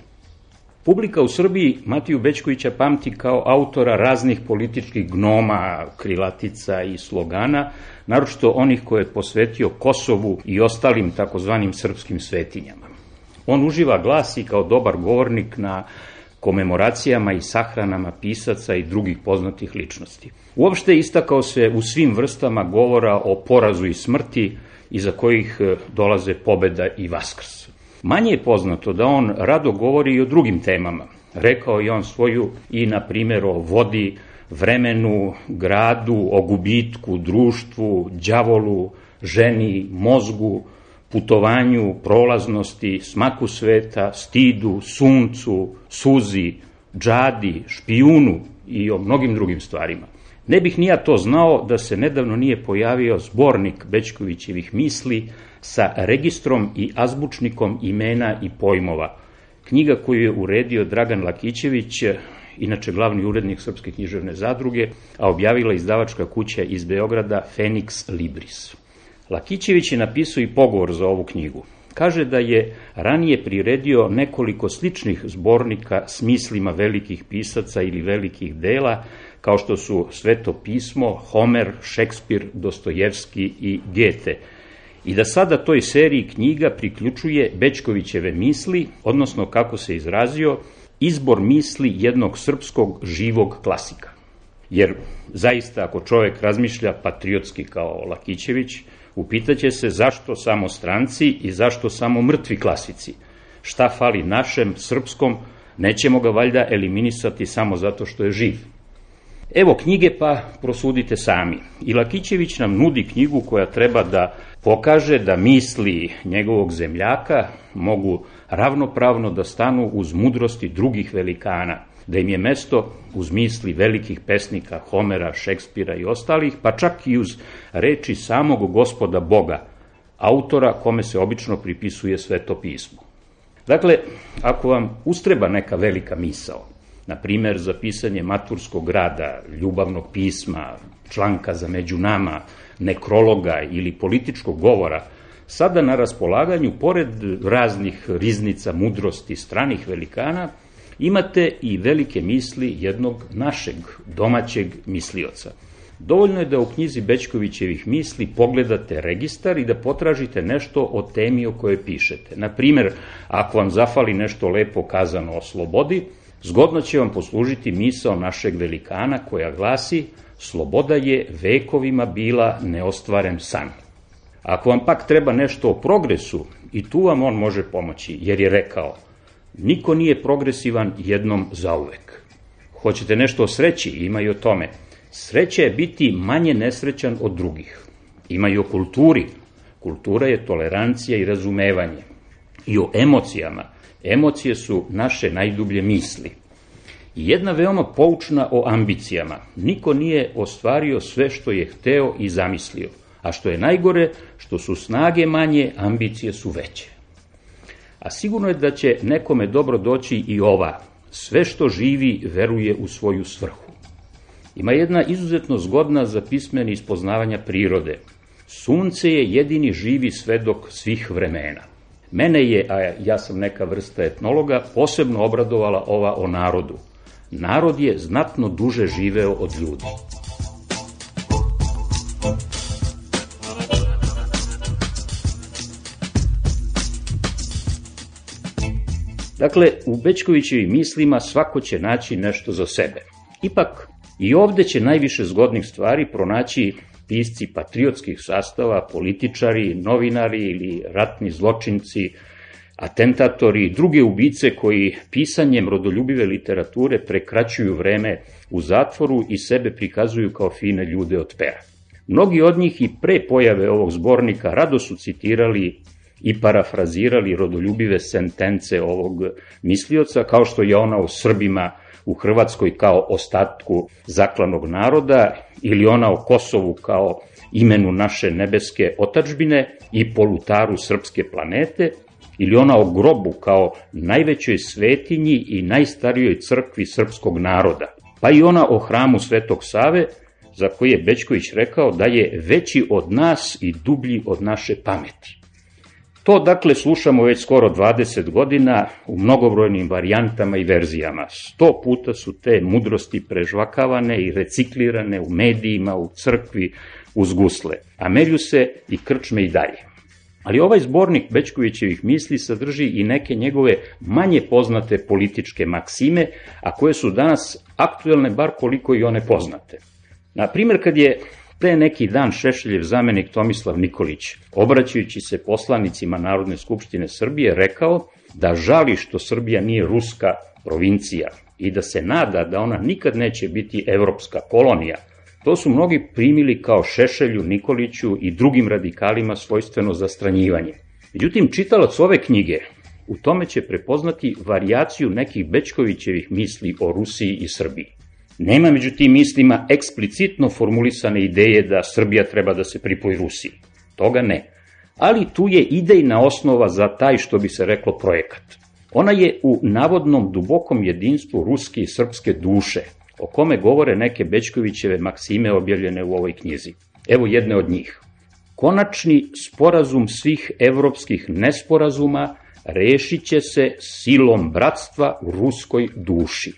Publika u Srbiji Matiju Bećkovića pamti kao autora raznih političkih gnoma, krilatica i slogana, naročito onih koje je posvetio Kosovu i ostalim takozvanim srpskim svetinjama. On uživa glas i kao dobar govornik na komemoracijama i sahranama pisaca i drugih poznatih ličnosti. Uopšte istakao se u svim vrstama govora o porazu i smrti, iza kojih dolaze pobeda i vaskrs. Manje je poznato da on rado govori i o drugim temama. Rekao je on svoju i, na primjer, o vodi, vremenu, gradu, o gubitku, društvu, đavolu, ženi, mozgu, putovanju, prolaznosti, smaku sveta, stidu, suncu, suzi, džadi, špijunu i o mnogim drugim stvarima. Ne bih ni ja to znao da se nedavno nije pojavio zbornik Bećkovićevih misli sa registrom i azbučnikom imena i pojmova. Knjiga koju je uredio Dragan Lakićević, inače glavni urednik Srpske književne zadruge, a objavila izdavačka kuća iz Beograda Fenix Libris. Lakićević je napisao i pogovor za ovu knjigu. Kaže da je ranije priredio nekoliko sličnih zbornika s mislima velikih pisaca ili velikih dela, kao što su Sveto pismo, Homer, Šekspir, Dostojevski i Gete, i da sada toj seriji knjiga priključuje Bećkovićeve misli, odnosno, kako se izrazio, izbor misli jednog srpskog živog klasika. Jer, zaista, ako čovek razmišlja patriotski kao Lakićević, upitaće se zašto samo stranci i zašto samo mrtvi klasici. Šta fali našem, srpskom, nećemo ga valjda eliminisati samo zato što je živ. Evo knjige, pa prosudite sami. I Lakićević nam nudi knjigu koja treba da pokaže da misli njegovog zemljaka mogu ravnopravno da stanu uz mudrosti drugih velikana, da im je mesto uz misli velikih pesnika Homera, Šekspira i ostalih, pa čak i uz reči samog Gospoda Boga, autora kome se obično pripisuje Sveto pismo. Dakle, ako vam ustreba neka velika misao, na primer za pisanje maturskog rada, ljubavnog pisma, članka za među nama, nekrologa ili političkog govora, sada na raspolaganju, pored raznih riznica mudrosti stranih velikana, imate i velike misli jednog našeg, domaćeg mislioca. Dovoljno je da u knjizi Bećkovićevih misli pogledate registar i da potražite nešto o temi o kojoj pišete. Na primer, ako vam zafali nešto lepo kazano o slobodi, zgodno će vam poslužiti misao našeg velikana koja glasi: sloboda je vekovima bila neostvaren san. Ako vam pak treba nešto o progresu, i tu vam on može pomoći, jer je rekao: niko nije progresivan jednom zauvek. Hoćete nešto o sreći? Ima i o tome. Sreća je biti manje nesrećan od drugih. Ima i o kulturi. Kultura je tolerancija i razumevanje. i o emocijama. Emocije su naše najdublje misli. I jedna veoma poučna o ambicijama. Niko nije ostvario sve što je hteo i zamislio, a što je najgore, što su snage manje, ambicije su veće. A sigurno je da će nekome dobro doći i ova: sve što živi veruje u svoju svrhu. Ima jedna izuzetno zgodna za pismeni ispoznavanja prirode. Sunce je jedini živi svedok svih vremena. Mene je, a ja sam neka vrsta etnologa, posebno obradovala ova o narodu. Narod je znatno duže živeo od ljudi. Dakle, u Bećkovićevim mislima svako će naći nešto za sebe. Ipak, i ovde će najviše zgodnih stvari pronaći pisci patriotskih sastava, političari, novinari ili ratni zločinci, atentatori i druge ubice koji pisanjem rodoljubive literature prekraćuju vreme u zatvoru i sebe prikazuju kao fine ljude od pera. Mnogi od njih i pre pojave ovog zbornika rado su citirali i parafrazirali rodoljubive sentence ovog mislioca, kao što je ona o Srbima u Hrvatskoj kao ostatku zaklanog naroda, ili ona o Kosovu kao imenu naše nebeske otadžbine i polutaru srpske planete, ili ona o grobu kao najvećoj svetinji i najstarijoj crkvi srpskog naroda, pa i ona o hramu Svetog Save, za koji je Bećković rekao da je veći od nas i dublji od naše pameti. To, dakle, slušamo već skoro dvadeset godina u mnogobrojnim varijantama i verzijama. Sto puta su te mudrosti prežvakavane i reciklirane u medijima, u crkvi, uz gusle, a melju se i krčme i dalje. Ali ovaj zbornik Bećkovićevih misli sadrži i neke njegove manje poznate političke maksime, a koje su danas aktuelne bar koliko i one poznate. Na primjer, kad je pre neki dan Šešeljev zamenik Tomislav Nikolić, obraćajući se poslanicima Narodne skupštine Srbije, rekao da žali što Srbija nije ruska provincija i da se nada da ona nikad neće biti evropska kolonija, to su mnogi primili kao Šešelju, Nikoliću i drugim radikalima svojstveno zastranjivanje. Međutim, čitalac ove knjige u tome će prepoznati varijaciju nekih Bećkovićevih misli o Rusiji i Srbiji. Nema među tim mislima eksplicitno formulisane ideje da Srbija treba da se pripoji Rusiji. Toga ne. Ali tu je idejna osnova za taj, što bi se reklo, projekat. Ona je u navodnom dubokom jedinstvu ruske i srpske duše, o kome govore neke Bećkovićeve maksime objavljene u ovoj knjizi. Evo jedne od njih. Konačni sporazum svih evropskih nesporazuma rešit će se silom bratstva u ruskoj duši.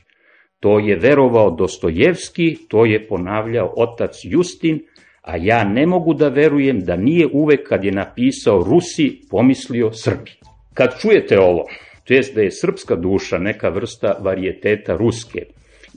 To je verovao Dostojevski, to je ponavljao otac Justin, a ja ne mogu da verujem da nije uvek kad je napisao Rusi pomislio Srbi. Kad čujete ovo, to jest da je srpska duša neka vrsta varijeteta ruske,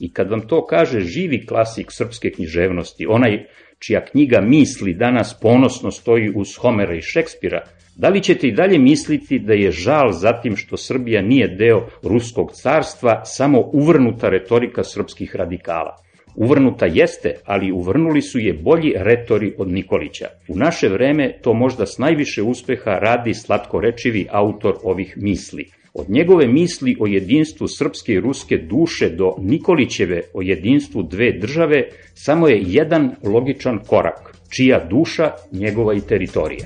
i kad vam to kaže živi klasik srpske književnosti, onaj čija knjiga misli danas ponosno stoji uz Homera i Šekspira, da li ćete i dalje misliti da je žal za tim što Srbija nije deo ruskog carstva samo uvrnuta retorika srpskih radikala? Uvrnuta jeste, ali uvrnuli su je bolji retori od Nikolića. U naše vreme to možda s najviše uspeha radi slatkorečivi autor ovih misli. Od njegove misli o jedinstvu srpske i ruske duše do Nikolićeve o jedinstvu dve države samo je jedan logičan korak, čija duša, njegova i teritorija.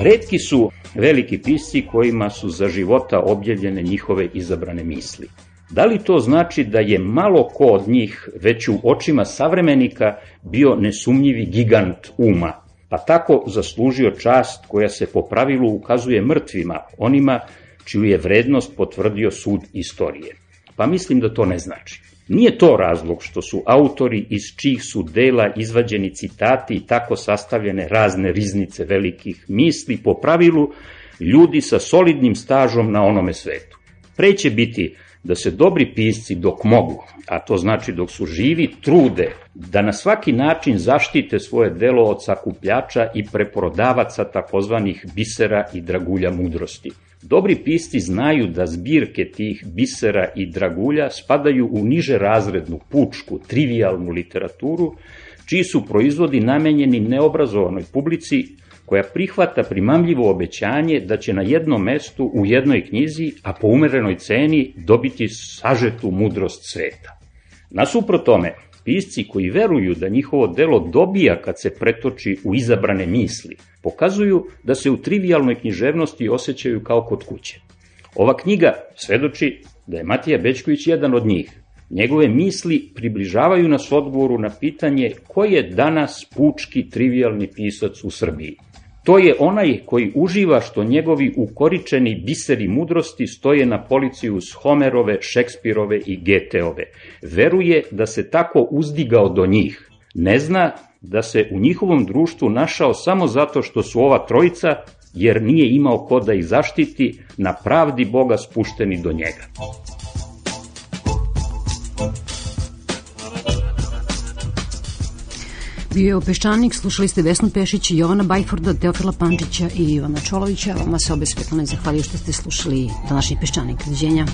Retki su veliki pisci kojima su za života objavljene njihove izabrane misli. Da li to znači da je malo ko od njih već u očima savremenika bio nesumnjivi gigant uma, pa tako zaslužio čast koja se po pravilu ukazuje mrtvima, onima čiju je vrednost potvrdio sud istorije? Pa mislim da to ne znači. Nije to razlog što su autori iz čijih su dela izvađeni citati i tako sastavljene razne riznice velikih misli po pravilu ljudi sa solidnim stažom na onome svetu. Pre će biti da se dobri pisci dok mogu, a to znači dok su živi, trude da na svaki način zaštite svoje delo od sakupljača i preprodavaca takozvanih bisera i dragulja mudrosti. Dobri pisci znaju da zbirke tih bisera i dragulja spadaju u niže razrednu, pučku, trivijalnu literaturu, čiji su proizvodi namenjeni neobrazovanoj publici koja prihvata primamljivo obećanje da će na jednom mestu u jednoj knjizi, a po umerenoj ceni, dobiti sažetu mudrost sveta. Nasuprot tome, pisci koji veruju da njihovo delo dobija kad se pretoči u izabrane misli, pokazuju da se u trivijalnoj književnosti osjećaju kao kod kuće. Ova knjiga svedoči da je Matija Bećković jedan od njih. Njegove misli približavaju nas odgovoru na pitanje ko je danas pučki trivijalni pisac u Srbiji. To je onaj koji uživa što njegovi ukoričeni biseri mudrosti stoje na polici uz Homerove, Šekspirove i Geteove. Veruje da se tako uzdigao do njih. Ne zna da se u njihovom društvu našao samo zato što su ova trojica, jer nije imao ko da ih zaštiti, na pravdi Boga spušteni do njega. Bio je Peščanik, slušali ste Vesnu Pešić, Jovana Bajforda, Teofila Pančića i Ivana Čolovića. Vama se obe Svetlane zahvaljuju što ste slušali današnji Peščanik. Doviđenja.